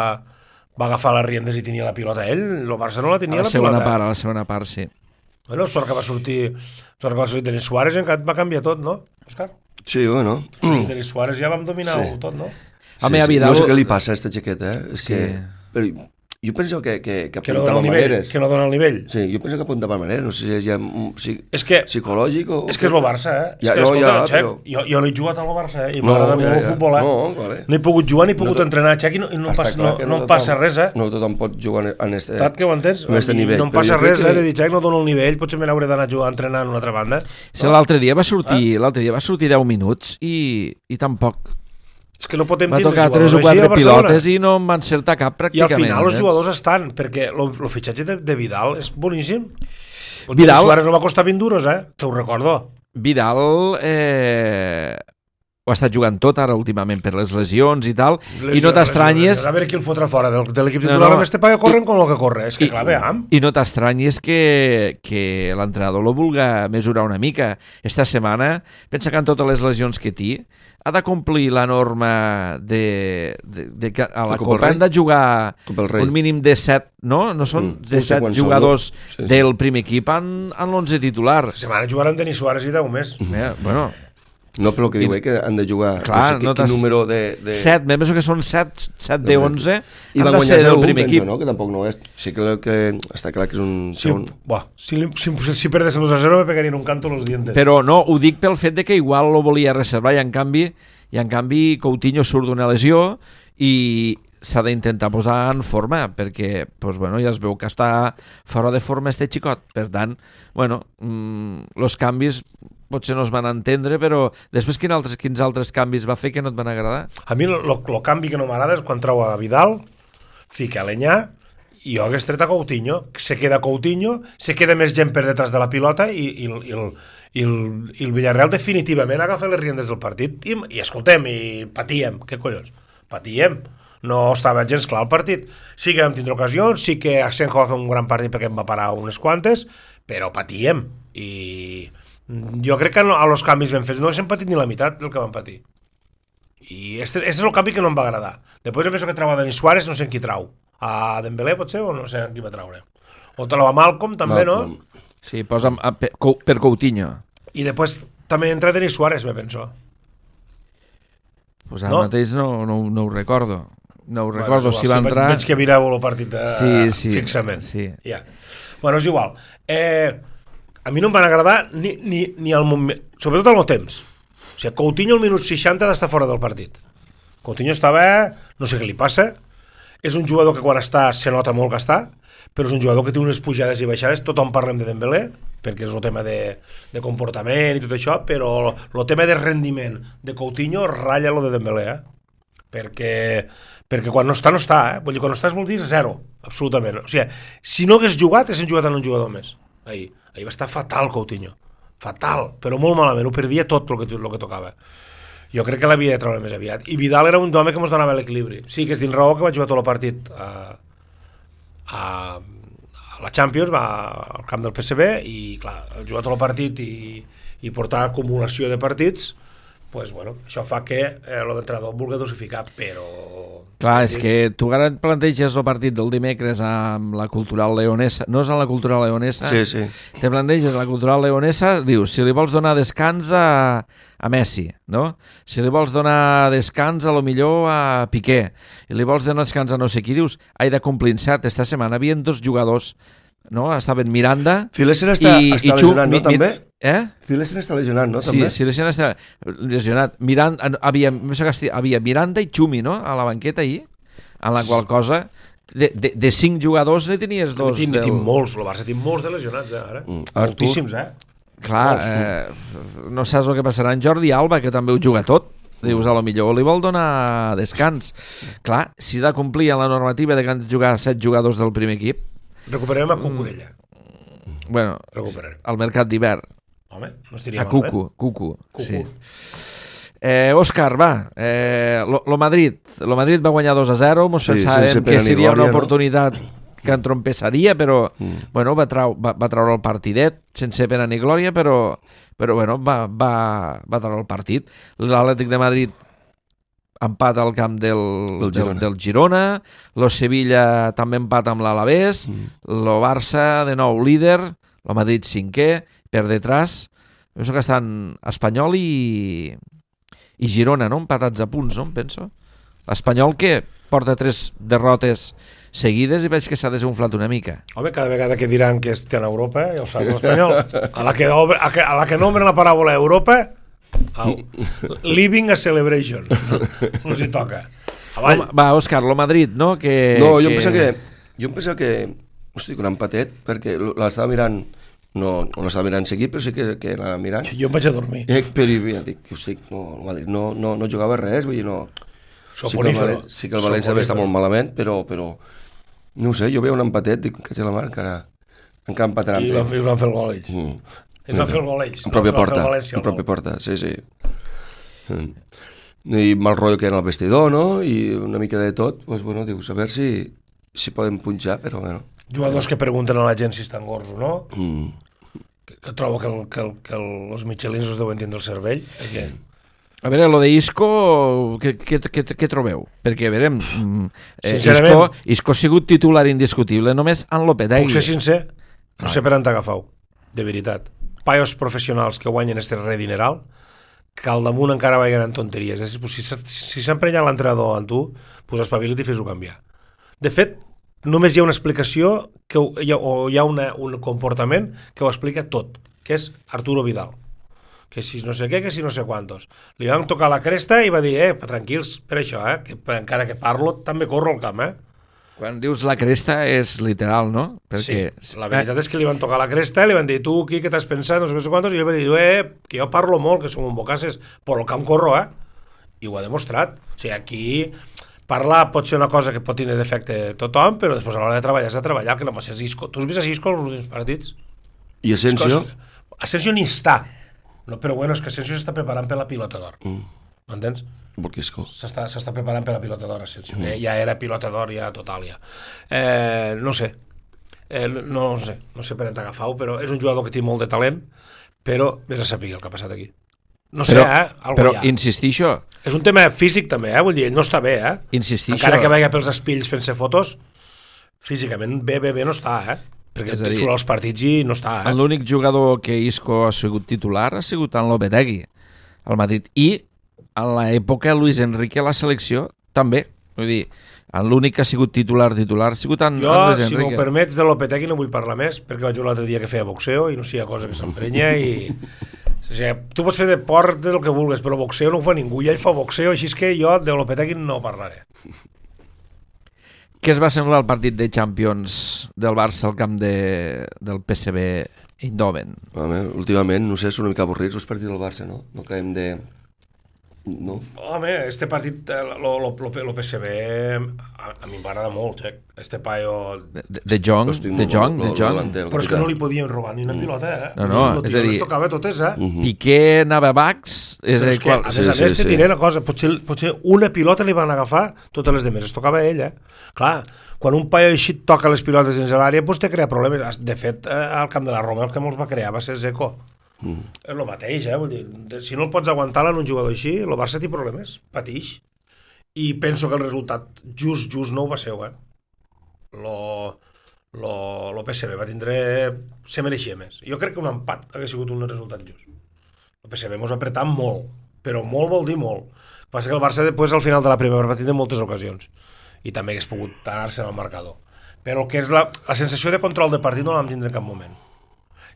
va agafar les riendes i tenia la pilota ell. El Barça no la A tenia la la segona pilota. part, a la segona part, sí. Bueno, sort que va sortir sort que va sortir Denis Suárez, va canviar tot, no, Òscar? Sí, bueno. Mm. Denis Suárez ja vam dominar Sí. tot, no? Home, a Vidal... No sé què li passa a esta jaqueta, eh? És Sí. que... Però jo penso que, que, que Que no dona apuntava el nivell. maneres. Que no dona el nivell. Sí, jo penso que apuntava maneres. No sé si és ja mm, si, És que psicològic o... És que és el Barça, eh? Ja, és que, no, escolta, ja, Xec, però- jo, jo no he jugat al Barça, eh? I No, m'agrada ja, molt el ja. futbol, eh? No, vale. No he pogut jugar ni he pogut No tot- entrenar, Xec, i no, i no, em Està passa, clar no, que no, em tothom- passa res, eh? No tothom pot jugar en este... Saps que ho entens? en este I nivell. no em però passa jo crec res, que- eh? De dir, Xec, no dono el nivell, potser me n'hauré d'anar a jugar a entrenar en una altra banda. Sí, l'altre dia va sortir, l'altre dia va sortir deu minuts i, i tampoc. És que no podem Va tindre tocar tres o jugadors així quatre al Barcelona. pilotes i no en va encertar cap I pràcticament. al final els saps? jugadors estan, perquè el fitxatge de, de Vidal és boníssim. Vidal- Vidal... Suárez no va costar vint duros, eh? Te ho recordo. Vidal eh, ho ha estat jugant tot ara últimament per les lesions i tal, i Lesió, no t'estranyes lesió. A veure qui el fotrà fora del, de l'equip No, titular, no. amb este paio corren com el que corre. És que I- clar, veam. i no t'estranyes que, que l'entrenador lo vulga mesurar una mica. Esta setmana, pensa que en totes les lesions que té, ha de complir la norma de, de, de que a la La Copa Copa del han de jugar Copa del Rei. un mínim de set, no? No són Mm, de no sé set quants són, jugadors no? Sí, sí. del primer equip en, en l'onze titular. La setmana jugaran Denis Suárez i deu més. Eh, bueno, No, però el que diu I- és que han de jugar... Clar, no sé no quin t'has- número de... de... set, me penso que són set, set de onze, I han van de guanyar ser del zero u, primer penso, equip. no? Que tampoc no és... Sí que, que està clar que és un Sí, segon... buah, si, li- si, si perdes dos a zero me pegarien un canto los dientes. Però no, ho dic pel fet de que igual lo volia reservar i en canvi, i en canvi Coutinho surt d'una lesió i s'ha d'intentar posar en forma, perquè pues, bueno, ja es veu que està fora de forma este xicot. Per tant, bueno, mmm, los canvis potser no es van entendre, però després quin altres, quins altres canvis va fer que no et van agradar? A mi el canvi que no m'agrada és quan trau a Vidal, fica Aleñà, i jo hagués tret a Coutinho, se queda Coutinho, se queda més gent per detrás de la pilota i, i, i, el, i, el, i el Villarreal definitivament agafa les riendes del partit i, i escoltem, i patíem, què collons? Patíem, no estava gens clar el partit. Sí que vam tindre ocasions, sí que Asenjo va fer un gran partit perquè em va parar unes quantes, però patíem, i jo crec que no, a los canvis ben fets no haguéssim patit ni la meitat del que vam patir. I este, este és el canvi que no em va agradar. Després em penso que trau a Denis Suárez, no sé en qui trau. A Dembélé potser, o no sé en qui va traure. O te la va Malcom també, Malcom. No? Sí, posa a, per, per Coutinho. I després també entra Denis Suárez, me penso. Pues ara no? mateix no, no, no ho recordo. No ho bueno, recordo, igual, si va sí, entrar... Veig que mireu el partit de... sí, sí, fixament. Sí. Ja. Bueno, és igual. Eh, a mi no em van agradar ni, ni, ni el moment... Sobretot al meu temps. O sigui, Coutinho al minut seixanta d'estar fora del partit. Coutinho estava... No sé què li passa. És un jugador que quan està se nota molt que està, però és un jugador que té unes pujades i baixades. Tothom parlem de Dembélé, perquè és el tema de, de comportament i tot això, però el tema de rendiment de Coutinho ratlla lo de Dembélé, eh? Perquè, perquè quan no està, no està, eh? Vull dir, quan no estàs vol dir zero, absolutament. O sigui, si no hagués jugat, haguessin jugat en un jugador més. Ahir, ahir va estar fatal Coutinho, fatal, però molt malament, ho perdia tot el que, el que tocava. Jo crec que l'havia de treure més aviat. I Vidal era un home que ens donava l'equilibri. Sí, que és dins raó que va jugar tot el partit a, a, a la Champions, va al camp del P S V, i clar, jugar tot el partit i, i portar acumulació de partits, pues, bueno, això fa que eh, l'entrenador vulgui dosificar, però... Clar, és que tu ara et planteges el partit del dimecres amb la Cultural Leonesa, no és amb la Cultural Leonesa? Sí, sí. Te planteges la Cultural Leonesa, dius, si li vols donar descans a, a Messi, no? Si li vols donar descans a lo millor a Piqué, i li vols donar descans a no sé qui, dius, hai de complir set. Esta setmana havien dos jugadors, no? Estaven Miranda Cilesen està, i, està i lesionat, no, mi, també? Eh? Cilesen està lesionat, no, també? Sí, Cilesen està lesionat. Miranda, havia, havia Miranda i Xumi, no?, a la banqueta ahir, en la qual cosa de, de, de cinc jugadors ne tenies dos. Ne del... tinc molts, el Barça tinc molts de lesionats, eh, ara. Mm. Moltíssims, eh? Clar, eh, no saps el que passarà en Jordi Alba, que també ho juga tot. Dius, a lo millor li vol donar descans. Clar, si ha de complir la normativa de que han de jugar set jugadors del primer equip, recuperarem a Cucurella. Bueno, al mercat d'hivern. Home, no estaria a mal, Cucu, eh? Cucu, Cucu. sí. Eh, Òscar, va, eh, lo, lo Madrid lo Madrid va guanyar dos a zero, mos sí, pensàvem que seria una oportunitat no? que entrompessaria, però mm. bueno, va, trau, va, va treure el partidet sense pena ni glòria, però, però bueno, va, va, va treure el partit. L'Atlètic de Madrid empat al camp del, del, Girona. del, del Girona, lo Sevilla també empat amb l'Alavés, mm. lo Barça de nou líder, lo Madrid cinquè, per detrás, penso que estan Espanyol i, i Girona, no? Empatats a punts, no? Em penso. L'Espanyol que porta tres derrotes seguides i veig que s'ha desunflat una mica. Home, cada vegada que diran que estan a Europa, ja ho saps, l'Espanyol. A la que, a, que, a la que nombren la paraula Europa, au, living a celebration. No, no s'hi toca. Home, va, Òscar, lo Madrid, no? Que, no, jo que... em penso que... Jo em penso que... Hosti, un empatet, perquè l'estava mirant... No, no l'estava mirant seguit, però sí que, que l'anava mirant. Jo em vaig a dormir. Eh, però ja dic, hosti, no, no, no, no jugava res, vull dir, no... Sí que, el, sí que el València també està molt malament, però, però no ho sé, jo veia un empatet, dic, que sé la mar, que ara encara empataran. I van, van fer el gol ells. Mm. Ells van fer el gol ells. En pròpia porta, en pròpia porta, sí, sí. Mm. I mal rotllo que era el vestidor, no? I una mica de tot, doncs, bueno, dius, a veure si, si podem punxar, però bueno. Jugadors que pregunten a la gent si estan gords o no. Mm. Que, que trobo que, el, que, el, que el, els michelins us deuen tindre el cervell. Perquè... A veure, lo de Isco, què, què, què, què trobeu? Perquè, a veure, eh, Isco, Isco ha sigut titular indiscutible només en Lopetegui. Puc ser sincer, no sé per on t'agafau, de veritat. Paios professionals que guanyen este re dineral, que al damunt encara vagin en tonteries. Si s'ha si emprenyat l'entrenador en tu, pues espavila't i fes-ho canviar. De fet, només hi ha una explicació que, hi ha, o hi ha una, un comportament que ho explica tot, que és Arturo Vidal, que si no sé què, que si no sé quantos. Li van tocar la cresta i va dir, eh, tranquils, per això, eh, que encara que parlo també corro al camp, eh. Quan dius la cresta és literal, no? Perquè... Sí, la veritat és que li van tocar la cresta, li van dir, tu, qui, què t'has pensat, no sé què quantos, i ell va dir, eh, que jo parlo molt, que som un bocasses, però el camp corro, eh? I ho ha demostrat. O sigui, aquí parlar pot ser una cosa que pot tenir defecte tothom, però després a l'hora de treballar has de treballar, que no pot ser Isco. Tu has vist a Isco els últims partits? I Asensio? Asensio ni està. No, però bueno, és que Asensio s'està preparant per la pilota d'or. Mm. M'entens? Perquè Isco. S'està preparant per la pilota d'or, Asensio. Mm. Ja era pilota d'or, ja total, ja. Eh, no sé. Eh, no, no sé. No sé per on t'agafau, però és un jugador que té molt de talent, però vés a saber el que ha passat aquí. No sé, però, eh? Algo però ja. insistixo... És un tema físic també, eh? Vull dir, ell no està bé, eh? Insistixo... Encara que vagi pels espills fent-se fotos, físicament bé, bé, bé no està, eh? Perquè dir, surt als partits i no està, eh? L'únic jugador que Isco ha sigut titular ha sigut en Lopetegui, al Madrid. I en l'època Luis Enrique a la selecció també. Vull dir, l'únic que ha sigut titular, titular, ha sigut en, jo, en Luis si Enrique. m'ho permets, de Lopetegui no vull parlar més, perquè vaig veure l'altre dia que feia boxeo i no sigui cosa que s'emprenya i... O sigui, tu pots fer deport del que vulguis, però boxeo no ho fa ningú, i ell fa boxeo, així és que jo de Lopetegui no parlaré. Què es va semblar el partit de Champions del Barça al camp de, del P S V Eindhoven? Home, últimament, no sé, són una mica avorrits els partits del Barça, no? No acabem de... No? Home, este partit, lo, lo, lo, lo P S V, a, a mi m'agrada molt, eh? Este paio... De, de Jong, de Jong, de Jong. Però és que no li podien robar ni una pilota, eh? No, no, és a dir... Les tocava totes, eh? Uh-huh. Piqué anava a Bax... És, és que, qual... a més a més, sí, te diré una cosa, potser, potser una pilota li van agafar, totes les demés, es tocava a ell, eh? Clar, quan un paio així toca les pilotes dins l'àrea, doncs te crea problemes. De fet, al camp de la Roma el que molts va crear va ser Zeko. Mm. És el mateix, eh? Vull dir, si no el pots aguantar en un jugador així, el Barça té problemes, patix. I penso que el resultat just, just no ho va ser, eh? Lo, lo, lo P S V va tindre... se mereixia més. Jo crec que un empat hauria sigut un resultat just. El P S V mos ha apretat molt, però molt vol dir molt. Passa que el Barça després al final de la primera va tindre moltes ocasions i també hagués pogut anar-se al marcador. Però el que és la, la sensació de control de partit no la vam tindre en cap moment.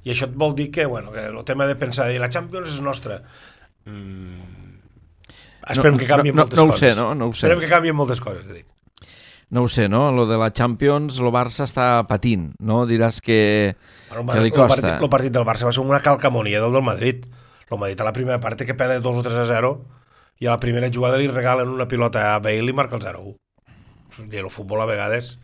I això et vol dir que, bueno, que el tema de pensar dir la Champions és nostra. Mm... Esperem no, que canvien no, moltes no, no coses. Ho sé, no? No ho sé. Esperem que canvien moltes coses, te dic. No ho sé, no? Lo de la Champions, el Barça està patint, no? Diràs que, bueno, que li costa. El partit, el partit del Barça va ser una calcamonia del del Madrid. El Madrid a la primera part que perd dos o tres a zero i a la primera jugada li regalen una pilota a Bale i marca el zero a u. I el futbol a vegades...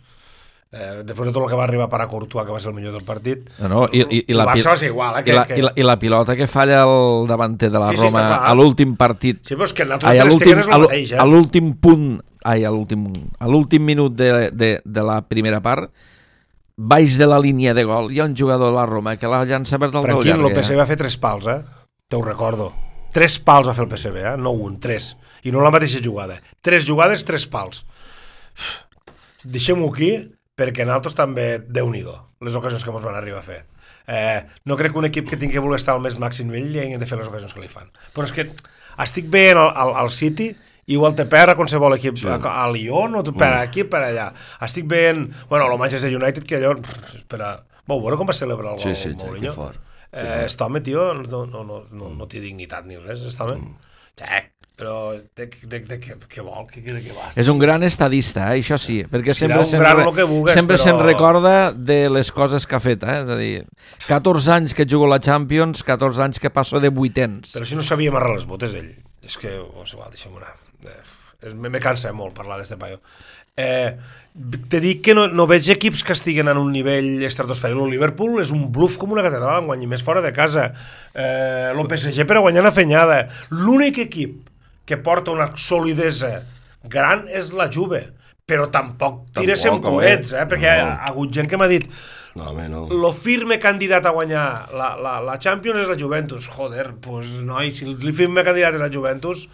Eh, després de tot el que va arribar per a Courtois, que va ser el millor del partit, no, no, i, i, i el la Barça va ser igual. Eh, que, i, la, que... i, la, I la pilota que falla el davanter de la sí, sí, Roma a l'últim partit. Sí, però és que ai, a l'últim és el mateix, eh? A l'últim punt, ai, a l'últim a l'últim minut de, de, de la primera part, baix de la línia de gol, hi ha un jugador de la Roma que la llança per dalt del llarg. Tranquil, el P S V va fer tres pals, eh? Te ho recordo. Tres pals va fer el P S V, eh? No un, tres. I no la mateixa jugada. Tres jugades, tres pals. Deixem-ho aquí, perquè nosaltres també, Déu-n'hi-do, les ocasions que ens van arribar a fer. Eh, no crec que un equip que tingui que voler estar al més màxim nivell li hagin de fer les ocasions que li fan. Però és que estic veient al, al, al City, igual te perd a qualsevol equip, sí. a, a Lyon, o te perd aquí, per allà. Estic veient, bueno, el Manchester United, que allò, espera, vau veure com va celebrar el gol, sí, sí, Mourinho? que fort. Eh, este home, tio, no, no, no, no, no té dignitat ni res, este home. Mm. Xec, però de, de, de, de, què vol? De, de què vas? És un gran estadista, eh? Això sí, perquè sí, sempre se'n re... sempre però... se'n recorda de les coses que ha fet, eh? És a dir, catorze anys que jugo a la Champions, catorze anys que passo de vuitens. Però si no sabia amarrar les botes, ell. És que, oh, igual, deixa'm anar. Eh, me, me cansa molt parlar d'este paio. Eh, te dic que no, no veig equips que estiguen en un nivell estratosfèric. El Liverpool és un bluff com una catedral, en guanyi més fora de casa. Eh, el P S G per a guanyar una fenyada. L'únic equip que porta una solidesa gran és la Juve, però tampoc tires en coets, eh? Perquè no. ha hagut gent que m'ha dit no, home, no. lo firme candidat a guanyar la, la, la Champions és la Juventus. Joder, pues noi, si el firme candidat és la Juventus,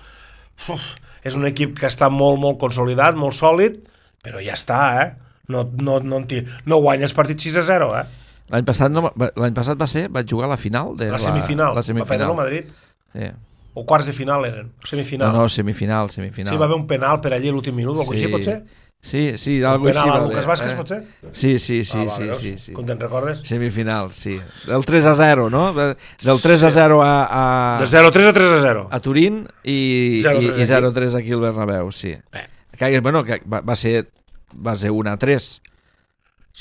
uf, és un equip que està molt, molt consolidat, molt sòlid, però ja està, eh? No, no, no, no guanya els partits sis a zero, eh? L'any passat, no, l'any passat va ser, vaig jugar a la final de la semifinal, la, la semifinal. Va perdre el Madrid. Sí. O quarts de final eren, semifinal. No, no, semifinal, semifinal. Sí, va haver un penal per allí a l'últim minut, o alguna sí. cosa així, potser? Sí, sí, algo penal així. a va Lucas bé, Vázquez, eh? potser? Sí, sí, sí, Ah, va, sí, veus? sí, sí. Com te'n recordes? Semifinal, sí. Del tres a zero, no? Del tres a zero a, a, De zero a tres a tres a zero. a Turín i, zero a tres i, i zero a tres aquí al Bernabéu, sí. Eh. Que, bueno, que va, va ser va ser un a tres.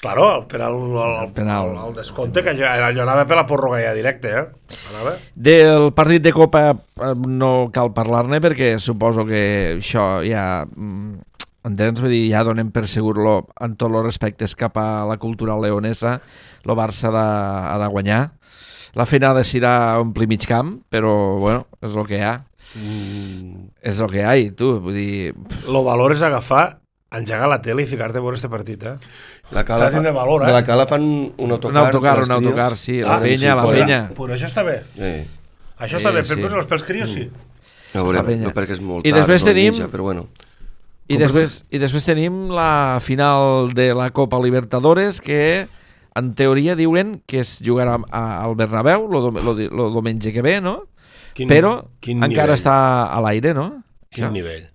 Claro, el penal, el, el, El penal. el, el descompte, que allò, allò anava per la pròrroga ja directe, eh? Anava. Del partit de Copa eh, no cal parlar-ne perquè suposo que això ja... mm, entens? Vull dir, ja donem per segur-lo en tots els respectes cap a la cultura leonesa, el Barça ha de, ha de guanyar. La feina ha de ser omplir mig camp, però bueno, és el que hi ha. Mm. És el que hi ha, i tu, vull dir... Lo valor és agafar, engegar la tele i ficar-te a veure este partit, eh? La cala Està fa, de valor, eh? de la cala fan un autocar. Un autocar, per als un autocar, crios. sí, Ah, la penya, sí, la podrà. penya. Però això està bé. Sí. Això Sí, està bé, sí. per, per, pels crios sí. A veure, La penya. no perquè és molt I tard, després no tenim- mitja, però bueno. I després, I després tenim la final de la Copa Libertadores, que en teoria diuen que es jugarà a, al Bernabéu el diumenge que ve, no? Quin, Però quin encara nivell. està a l'aire, no? Quin Això. nivell.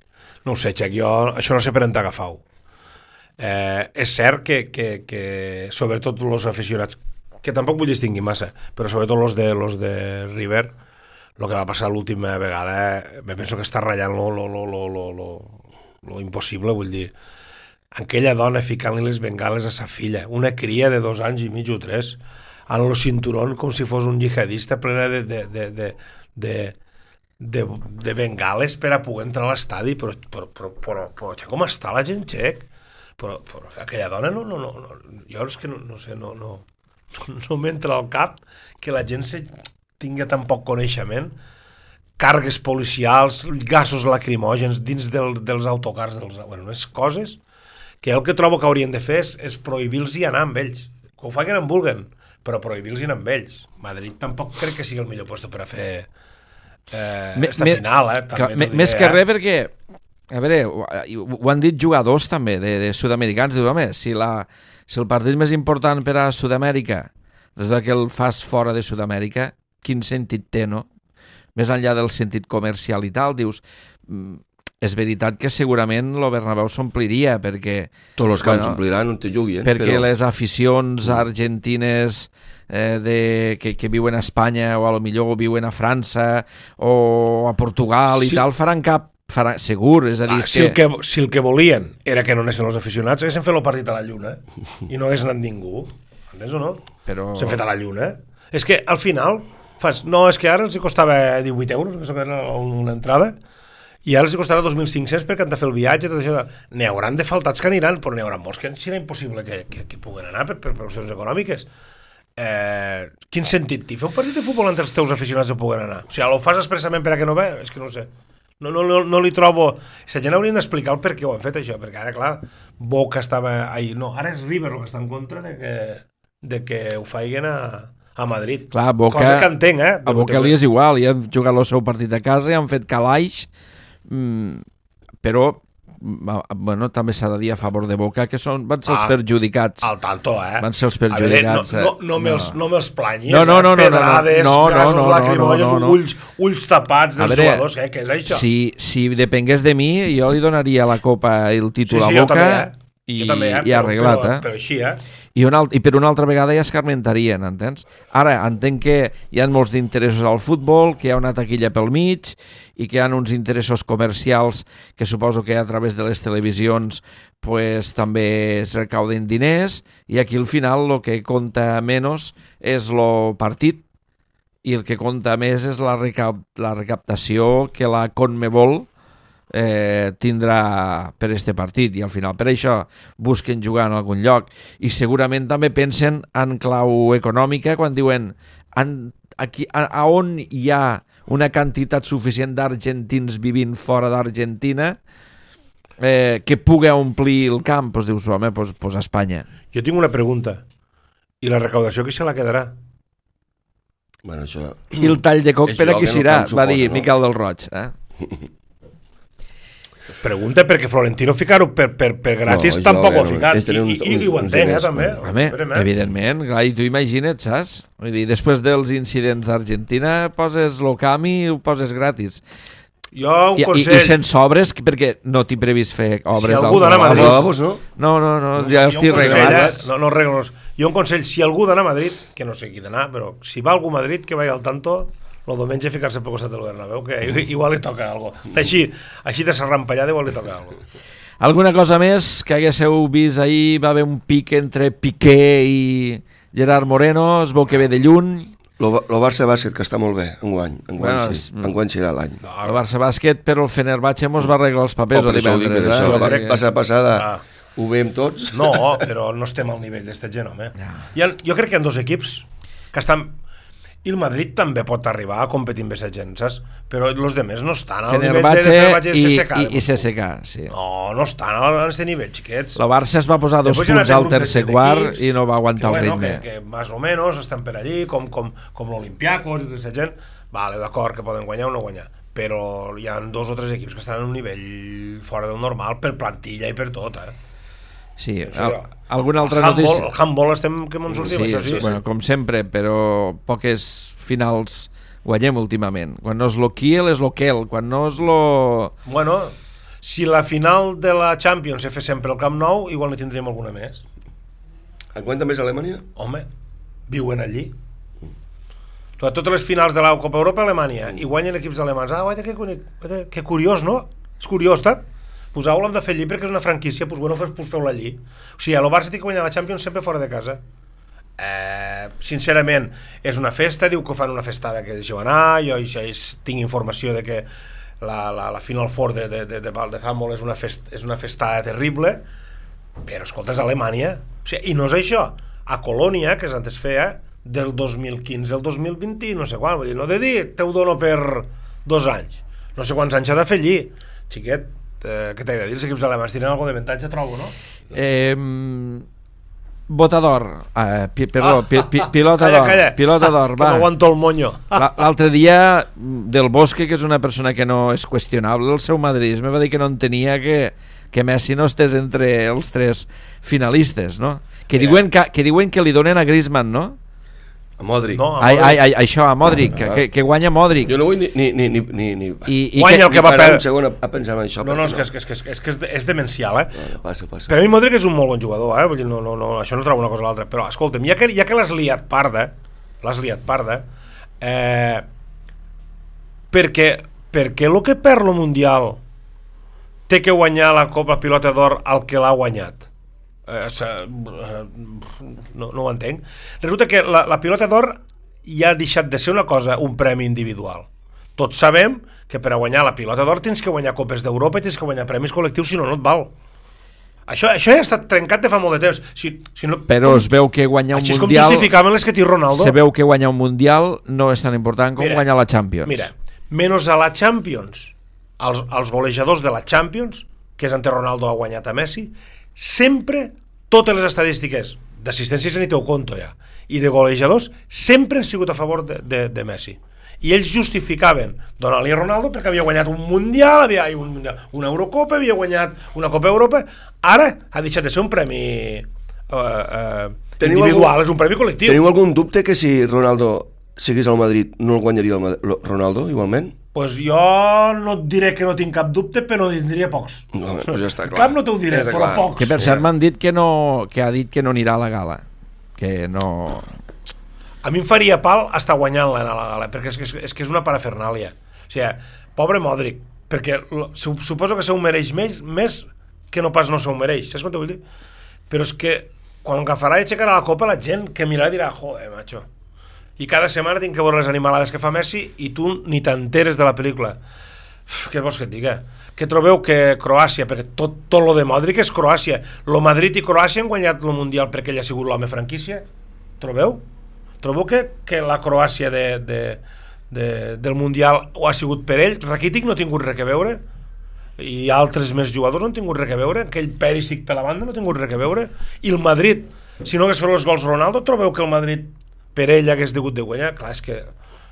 No ho sé, Xec, jo això no sé per on t'agafau. Eh, és cert que, que, que sobretot els aficionats, que tampoc vull distingir massa, però sobretot els de, los de River, el que va passar l'última vegada, me penso que està ratllant lo, lo, lo, lo, lo, lo, lo impossible, vull dir, aquella dona ficant-li les bengales a sa filla, una cria de dos anys i mig o tres, en el cinturón com si fos un jihadista plena de, de, de, de, de, de, de bengales per a poder entrar a l'estadi, però, però, però, però, però, però com està la gent, Xec? Però, però aquella dona no, no, no, no, jo és que no, no sé, no, no, no m'entra al cap que la gent se tinga tan poc coneixement, càrregues policials, gasos lacrimògens dins del, dels autocars, dels, bueno, unes coses que el que trobo que haurien de fer és, és prohibir-los i anar amb ells, que ho facin en vulguen, però prohibir-los i anar amb ells. Madrid tampoc crec que sigui el millor lloc per a fer eh, Me- esta me- final, eh? Que, També me, t'ho diré, més que eh? res perquè, a veure, ho, ho han dit jugadors també de, de sud-americans, diu, home, si, la, si el partit més important per a Sud-amèrica resulta que el fas fora de Sud-amèrica, quin sentit té, no? Més enllà del sentit comercial i tal, dius, mm, és veritat que segurament el Bernabéu s'ompliria, perquè... Tots els camps bueno, s'ompliran on te juguin, perquè però... les aficions argentines eh, de, que, que viuen a Espanya o a lo millor viuen a França o a Portugal i Sí. tal, faran cap farà, segur, és a dir, Ah, és si, el que... que, si el que volien era que no anessin els aficionats, haguessin fet el partit a la Lluna i no hagués anat ningú. Entens o no? Però... S'han fet a la Lluna. És que al final fas, no, és que ara els hi costava divuit euros, que era una entrada, i ara els hi costarà dos mil cinc-cents perquè han de fer el viatge, tot això. N'hi hauran de faltats que aniran, però n'hi haurà molts que serà impossible que, que, que puguen anar per, per qüestions econòmiques. Eh, quin sentit té fer un partit de futbol entre els teus aficionats que puguen anar? O sigui, ho fas expressament per a que no ve? És que no ho sé. No, no, no, no li trobo... Aquesta gent haurien d'explicar el per què ho han fet, això, perquè ara, clar, Boca estava ahí... No, ara és River el que està en contra de que, de que ho faiguen a, a Madrid. Clar, Boca, cosa que entenc, eh? a Boca li és igual, ja han jugat el seu partit a casa i han fet calaix, mm, però bueno, també s'ha de dir a favor de Boca que són, van ser els Ah, perjudicats. Al tanto, eh? Van ser els A veure, perjudicats. no, no, no, me'ls, no me'ls planyis, No, no, no, no, eh? Pedrades, no, no, no, gasos no, no, lacrimògens, no, no, no. ulls, ulls tapats A dels veure, jugadors, eh? Què és això? Si, si depengués de mi, jo li donaria la Copa i el sí, títol sí, a jo Boca també, eh? i, Jo també, eh? i arreglat, però, eh? Però així, eh? I, una, I per una altra vegada ja escarmentarien, entens? Ara, entenc que hi ha molts d'interessos al futbol, que hi ha una taquilla pel mig i que hi ha uns interessos comercials que suposo que a través de les televisions pues, també es recauden diners i aquí al final el que compta menys és el partit i el que compta més és la, recap la recaptació que la Conmebol eh, tindrà per este partit i al final per això busquen jugar en algun lloc i segurament també pensen en clau econòmica quan diuen en, aquí, a, a on hi ha una quantitat suficient d'argentins vivint fora d'Argentina eh, que pugui omplir el camp, doncs dius, home, doncs, doncs a Espanya. Jo tinc una pregunta. I la recaudació qui se la quedarà? Bueno, això... I el tall de coc Això per a qui que no serà, camp va dir suposa, no? Miquel del Roig. Eh? Pregunta perquè Florentino ficar-ho per, per, per gratis No, no, tampoc jo, ho ha ficat. és tenir I, uns- i, i ho uns entenc, eh, diners, també. no? Home, Esperem, eh? evidentment, clar, i tu imagina't, saps? Vull dir, després dels incidents d'Argentina poses l'Ocami i ho poses gratis. Jo un I, consell... I, i sense obres, perquè no tinc previst fer obres. Si algú d'anar a als Madrid- lavabos. no? No, no, no, ja Jo estic un consell, regalat. eh? No, no regles. Jo un consell, si algú d'anar a Madrid, que no sé qui d'anar, però si va algú a Madrid, que vagi al tanto, el diumenge ficar-se per costat del Bernabéu, que igual li toca algo. Així, així de serrampallada igual li toca algo. Alguna cosa més que haguéssiu vist ahir? Va haver un pic entre Piqué i Gerard Moreno, es veu que ve de lluny. El Barça Bàsquet, que està molt bé, enguany. Enguany, Bueno, sí. Enguany serà l'any. El Barça Bàsquet, però el Fenerbahçe mos va arreglar els papers Oh, el per això ho dic, divendres. per això, Eh? la Perquè- passada passada Ah. ho veiem tots. No, però no estem al nivell d'esta gent, home. Hi ha, jo crec que hi ha dos equips que estan... I el Madrid també pot arribar a competir amb aquesta gent, saps? Però els demés no estan al nivell de Fenerbahçe Fenerbahçe i, C S K. i, i C S K, sí. No, no estan a aquest nivell, xiquets. El Barça es va posar dos Després hi ha un punts altre al grup de tercer set quart equips i no va aguantar que, el bueno, ritme. Que, que més o menys estan per allí, com, com, com l'Olimpiakos i tota aquesta gent. Vale, d'acord, que poden guanyar o no guanyar. Però hi ha dos o tres equips que estan en un nivell fora del normal per plantilla i per tot, eh? Sí, Penso al, jo. alguna altra El handball, notícia? el handball estem que ens sortim, Sí, això sí. sí, bueno, com sempre, però poques finals guanyem últimament. Quan no és lo Kiel, és lo Kel. Quan no és lo... Bueno, si la final de la Champions se fes sempre al Camp Nou, igual ne tindríem alguna més. Enguany també és Alemanya? Home, viuen allí. Totes les finals de la Copa Europa a Alemanya i guanyen equips alemans. Ah, guaita, que, que, que curiós, no? És curiós, tak? Pues ho hem de fer allí perquè és una franquícia, pues bueno, pues feu-la allí. O sigui, el Barça té que guanyar la Champions sempre fora de casa. Eh, sincerament, és una festa, diu que fan una festada que deixeu anar, jo ja tinc informació de que la, la, la Final Four de, de, de, de, de handball és una, fest, és una festada terrible, però escolta, és Alemanya. O sigui, i no és això. A Colònia, que és antes feia, del dos mil quinze al dos mil vint, no sé quan, vull dir, no de dir, te ho dono per dos anys. No sé quants anys ha de fer allí. Xiquet, eh, què t'he de dir? Els equips alemans tenen alguna d'avantatge, trobo, no? Eh, Botador, eh, pi, perdó, Ah, pi, pi, pilota calla, d'or, calla. pilota d'or, Que va. no aguanto el moño. La- L'altre dia, Del Bosque, que és una persona que no és qüestionable, el seu madridisme va dir que no entenia que, que Messi no estés entre els tres finalistes, no? Que diuen que, que diuen que li donen a Griezmann, no? A Modric. No, Ai, ai, ai, això, a Modric, que, que, que guanya Modric. Jo no vull ni... ni, ni, ni, ni, ni... I, i Guanya el que va parar perdre. un segon a, a pensar en això. No, no, és perquè que, és, que, és, que, és, que és, de- és demencial, eh? No, no, passa, passa. Per a mi Modric és un molt bon jugador, eh? Vull dir, no, no, no, això no trobo una cosa a l'altra. Però, escolta'm, ja que, ja que l'has liat parda, l'has liat parda, eh, perquè, perquè el que perd el Mundial té que guanyar la Copa Pilota d'Or al que l'ha guanyat. Eh, se, eh, no, no ho entenc. Resulta que la, la Pilota d'Or ja ha deixat de ser una cosa, un premi individual. Tots sabem que per a guanyar la Pilota d'Or tens que guanyar Copes d'Europa i tens que guanyar premis col·lectius, si no, no et val. Això, això ja ha estat trencat de fa molt de temps. Si, si no, Però es veu que guanyar un així és com Mundial... justificaven les que té Ronaldo. Se veu que guanyar un Mundial no és tan important com Mira, guanyar la Champions. Mira, menys a la Champions, els, els golejadors de la Champions, que és ante Ronaldo ha guanyat a Messi, sempre, totes les estadístiques d'assistències en hi teu compte ja, i de golejadors, sempre han sigut a favor de, de, de Messi. I ells justificaven donar-li a Ronaldo perquè havia guanyat un Mundial, havia un mundial, una Eurocopa, havia guanyat una Copa Europa. Ara ha deixat de ser un premi eh, eh, individual, algun, és un premi col·lectiu. Teniu algun dubte que si Ronaldo seguís al Madrid no el guanyaria el, el Ronaldo igualment? Pues jo no et diré que no tinc cap dubte, però en diria pocs. No, pues ja està clar. Cap no t'ho diré, Ja està però clar. pocs. Que per cert m'han dit que no, que ha dit que no anirà a la gala, que no... A mi em faria pal estar guanyant-la a la gala, perquè és que, és que és una parafernàlia. O sigui, pobre Modric, perquè lo- su- suposo que se ho mereix més, més que no pas no se ho mereix, saps què vull dir? Però és que quan agafarà i aixecarà la copa, la gent que mirarà dirà, joder, macho, i cada setmana tinc que veure les animalades que fa Messi i tu ni t'enteres de la pel·lícula. Uf, què vols que et diga? Que trobeu que Croàcia, perquè tot, tot lo de Modric és Croàcia, lo Madrid i Croàcia han guanyat el Mundial perquè ell ha sigut l'home franquícia, trobeu? Trobeu que, que la Croàcia de, de, de, del Mundial ho ha sigut per ell? Rakitic no ha tingut res a veure, i altres més jugadors no han tingut res a veure, aquell Perisic per la banda no ha tingut res a veure, i el Madrid, si no hagués fet els gols Ronaldo, trobeu que el Madrid per ell hagués degut de guanyar? Clar, és que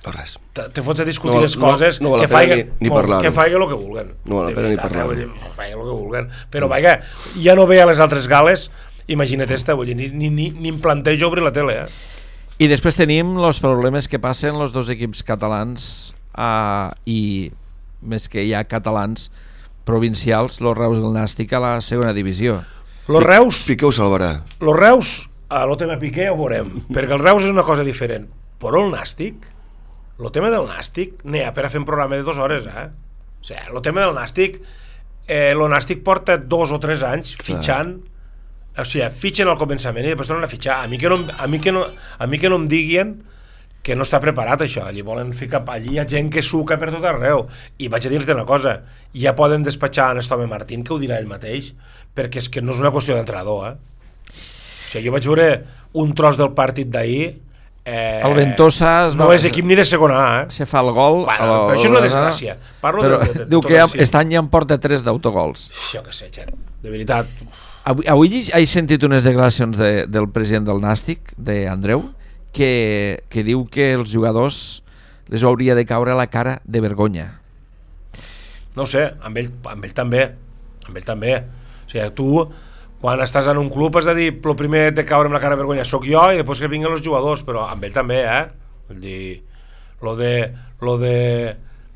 No res. te, te fots a discutir No, les coses, no, no val la que pena faiguen ni- ni parlar-ho. que faiguen el que vulguen. No val la De pena ni veritat, parlar-ho. eh, vull dir, faiguen el que vulguen. Però, vaja, ja no ve a les altres gales, imagina't esta, vull dir, ni, ni, ni, ni em plantejo obrir la tele, eh? I després tenim els problemes que passen els dos equips catalans uh, i més que hi ha catalans provincials, los Reus i el Nàstic a la segona divisió. Los Reus... Piqué ho salvarà. Los Reus, a lo tema Piqué ho veurem, perquè el Reus és una cosa diferent. Però el Nàstic, el tema del Nàstic, n'hi ha per a fer un programa de dues hores, eh? O sigui, el tema del Nàstic, eh, el Nàstic porta dos o tres anys fitxant, o sigui, fitxen al començament i després tornen a fitxar. A mi que no, a mi que no, a mi que no em diguin que no està preparat això, allí volen ficar, allí hi ha gent que suca per tot arreu, i vaig a dir-te una cosa, ja poden despatxar en Estome Martín, que ho dirà ell mateix, perquè és que no és una qüestió d'entrenador, eh? O sigui, jo vaig veure un tros del partit d'ahir, eh, el Ventosa es no va, és equip ni de segona A, eh? se fa el gol, bueno, el, però això és una desgràcia. Parlo però de, de, de, diu de que ja, així. aquest any ja en porta tres d'autogols. Jo què sé, Xer, de veritat. Avui, avui he sentit unes declaracions de, del president del Nàstic, d'Andreu, que, que diu que els jugadors les hauria de caure a la cara de vergonya. No ho sé, amb ell, amb ell també, amb ell també. O sigui, tu, quan estàs en un club has de dir, el primer de caure amb la cara de vergonya soc jo i després que vinguen els jugadors, però amb ell també, eh? Vull dir, lo de, lo de,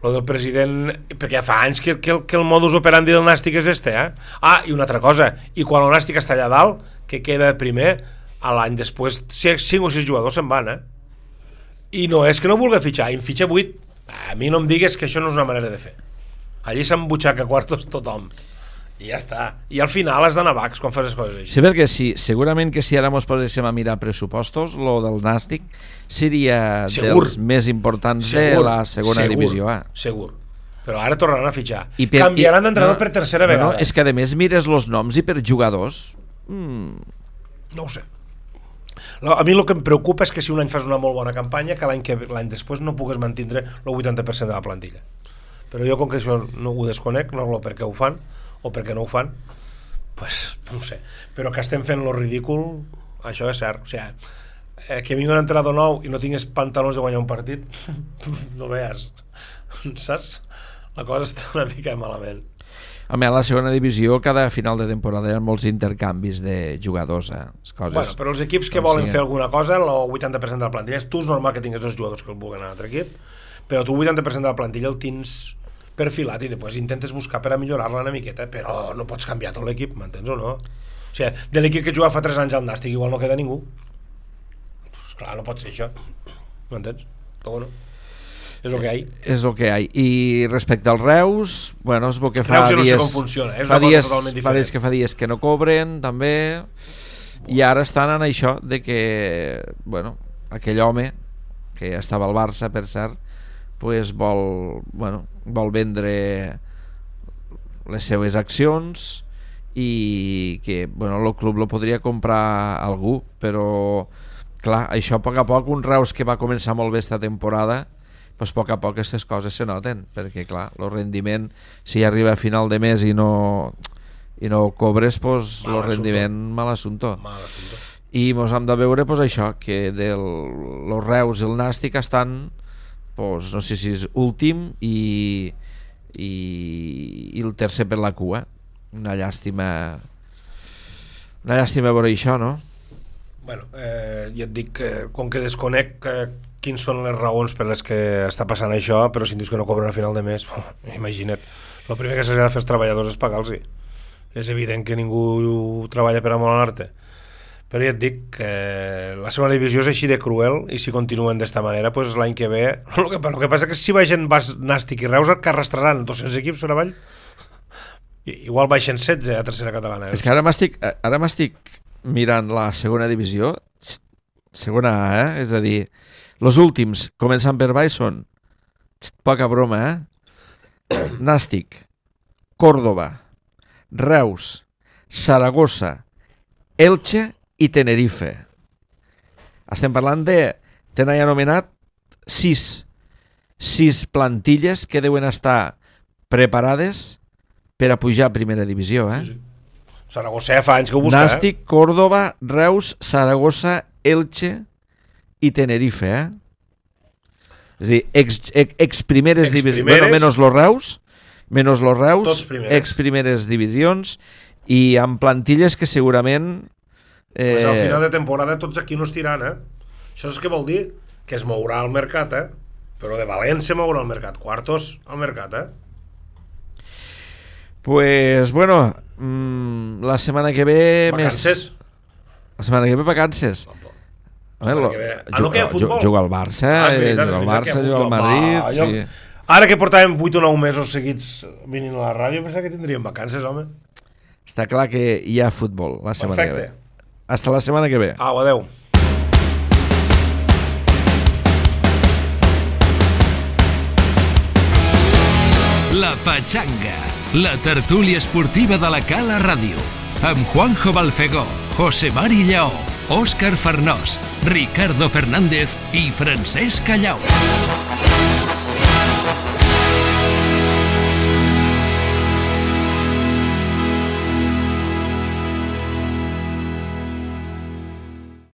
lo del president, perquè ja fa anys que, que, que el modus operandi del Nàstic és este, eh? Ah, i una altra cosa, i quan el Nàstic està allà dalt, que queda primer, a l'any després cinc o sis jugadors se'n van, eh? I no és que no vulgui fitxar, en fitxa vuit. A mi no em digues que això no és una manera de fer. Allí s'embutxaca quartos tothom i ja està, i al final has d'anar vacs quan fas les coses així. Sí, perquè sí, segurament que si ara mos poséssim a mirar pressupostos, lo del Nàstic seria segur, dels més importants segur, de la segona segur, divisió A. Segur, però ara tornaran a fitxar i per, canviaran d'entrenador no, per tercera vegada. No, és que a més mires los noms i per jugadors mm. no ho sé. A mi el que em preocupa és que si un any fas una molt bona campanya, que l'any que l'any després no pugues mantindre el vuitanta per cent de la plantilla. Però jo, com que això no ho desconec, no sé per què ho fan o per què no ho fan, pues, no ho sé. Però que estem fent lo ridícul, això és cert. O sigui, eh, que vingui un entrenador nou i no tingues pantalons de guanyar un partit, no veus, saps? La cosa està una mica malament. A més, a la segona divisió, cada final de temporada hi ha molts intercanvis de jugadors, eh? Les coses, bueno, però els equips que volen fer alguna cosa, el vuitanta per cent de la plantilla, tu és normal que tinguis dos jugadors que el vulguin a l'altre equip, però tu el vuitanta per cent de la plantilla el tens perfilat i després intentes buscar per a millorar-la una miqueta, però no pots canviar tot l'equip, m'entens o no? O sigui, de l'equip que juga fa tres anys al Nàstic igual no queda ningú. Pues clar, no pot ser això, m'entens? Però bueno, és el que hi ha. És el que hi ha. I respecte als Reus, bueno, és el que fa Reus jo no dies, sé com funciona, és fa una dies, cosa totalment fa diferent. dies que fa dies que no cobren, també, i ara estan en això de que, bueno, aquell home que estava al Barça, per cert, pues vol, bueno, vol vendre les seues accions i que, bueno, el club lo podria comprar algú, però clar, això a poc a poc, un Reus que va començar molt bé esta temporada, pues a poc a poc aquestes coses se noten, perquè clar, el rendiment, si arriba a final de mes i no i no cobres, pues el rendiment mal assumpto. Mal assumpto. I mos hem de veure pues, això, que del, los Reus i el Nàstic estan, pues, no sé si és últim i, i, i el tercer per la cua. Una llàstima, una llàstima veure això, no? Bueno, eh, ja et dic que com que desconec eh, quins són les raons per les que està passant això, però si em dius que no cobren a final de mes, imagina't, el primer que s'ha de fer als treballadors és pagar-los. És evident que ningú treballa per amor a l'arte, però ja et dic que la segona divisió és així de cruel i si continuen d'esta manera, pues l'any que ve el que, el que passa que si baixen Nàstic i Reus que arrastraran dos-cents equips per avall, igual baixen setze a tercera catalana. És que ara m'estic ara m'estic mirant la segona divisió, segona A, eh? És a dir, els últims, començant per baix, són poca broma, eh? Nàstic, Córdoba, Reus, Saragossa, Elche i Tenerife. Estem parlant de, tenen anomenat sis, sis plantilles que deuen estar preparades per a pujar a primera divisió, eh? Sí, sí. Saragossa fa anys que ho busca, Nàstic, eh? Córdoba, Reus, Saragossa, Elche i Tenerife, eh? És a dir, ex, ex, ex primeres ex divisions, primeres... bueno, menos los Reus, menos los Reus, ex primeres divisions i amb plantilles que segurament eh... pues al final eh, de temporada tots aquí no es tiran, eh? Això és que vol dir que es mourà al mercat, eh? Però de valent se mourà al mercat, quartos al mercat, eh? Pues, bueno, mmm, la setmana que ve... Vacances? Més... La setmana que ve vacances. A veure, que ve... Ah, no, que hi ha futbol? Juga al Barça, Ah, és veritat, juga al és veritat Barça, que hi ha juga al futbol. Madrid... Va, jo- sí. Ara que portàvem vuit o nou mesos seguits venint a la ràdio, pensava que tindríem vacances, home. Està clar que hi ha futbol la setmana Perfecte. que ve. Hasta la setmana que ve. Au, adeu. La Pachanga, la tertúlia esportiva de la Cala Ràdio, amb Juanjo Balfegó, José Mari Lleó, Òscar Farnós, Ricardo Fernández i Francesc Callau.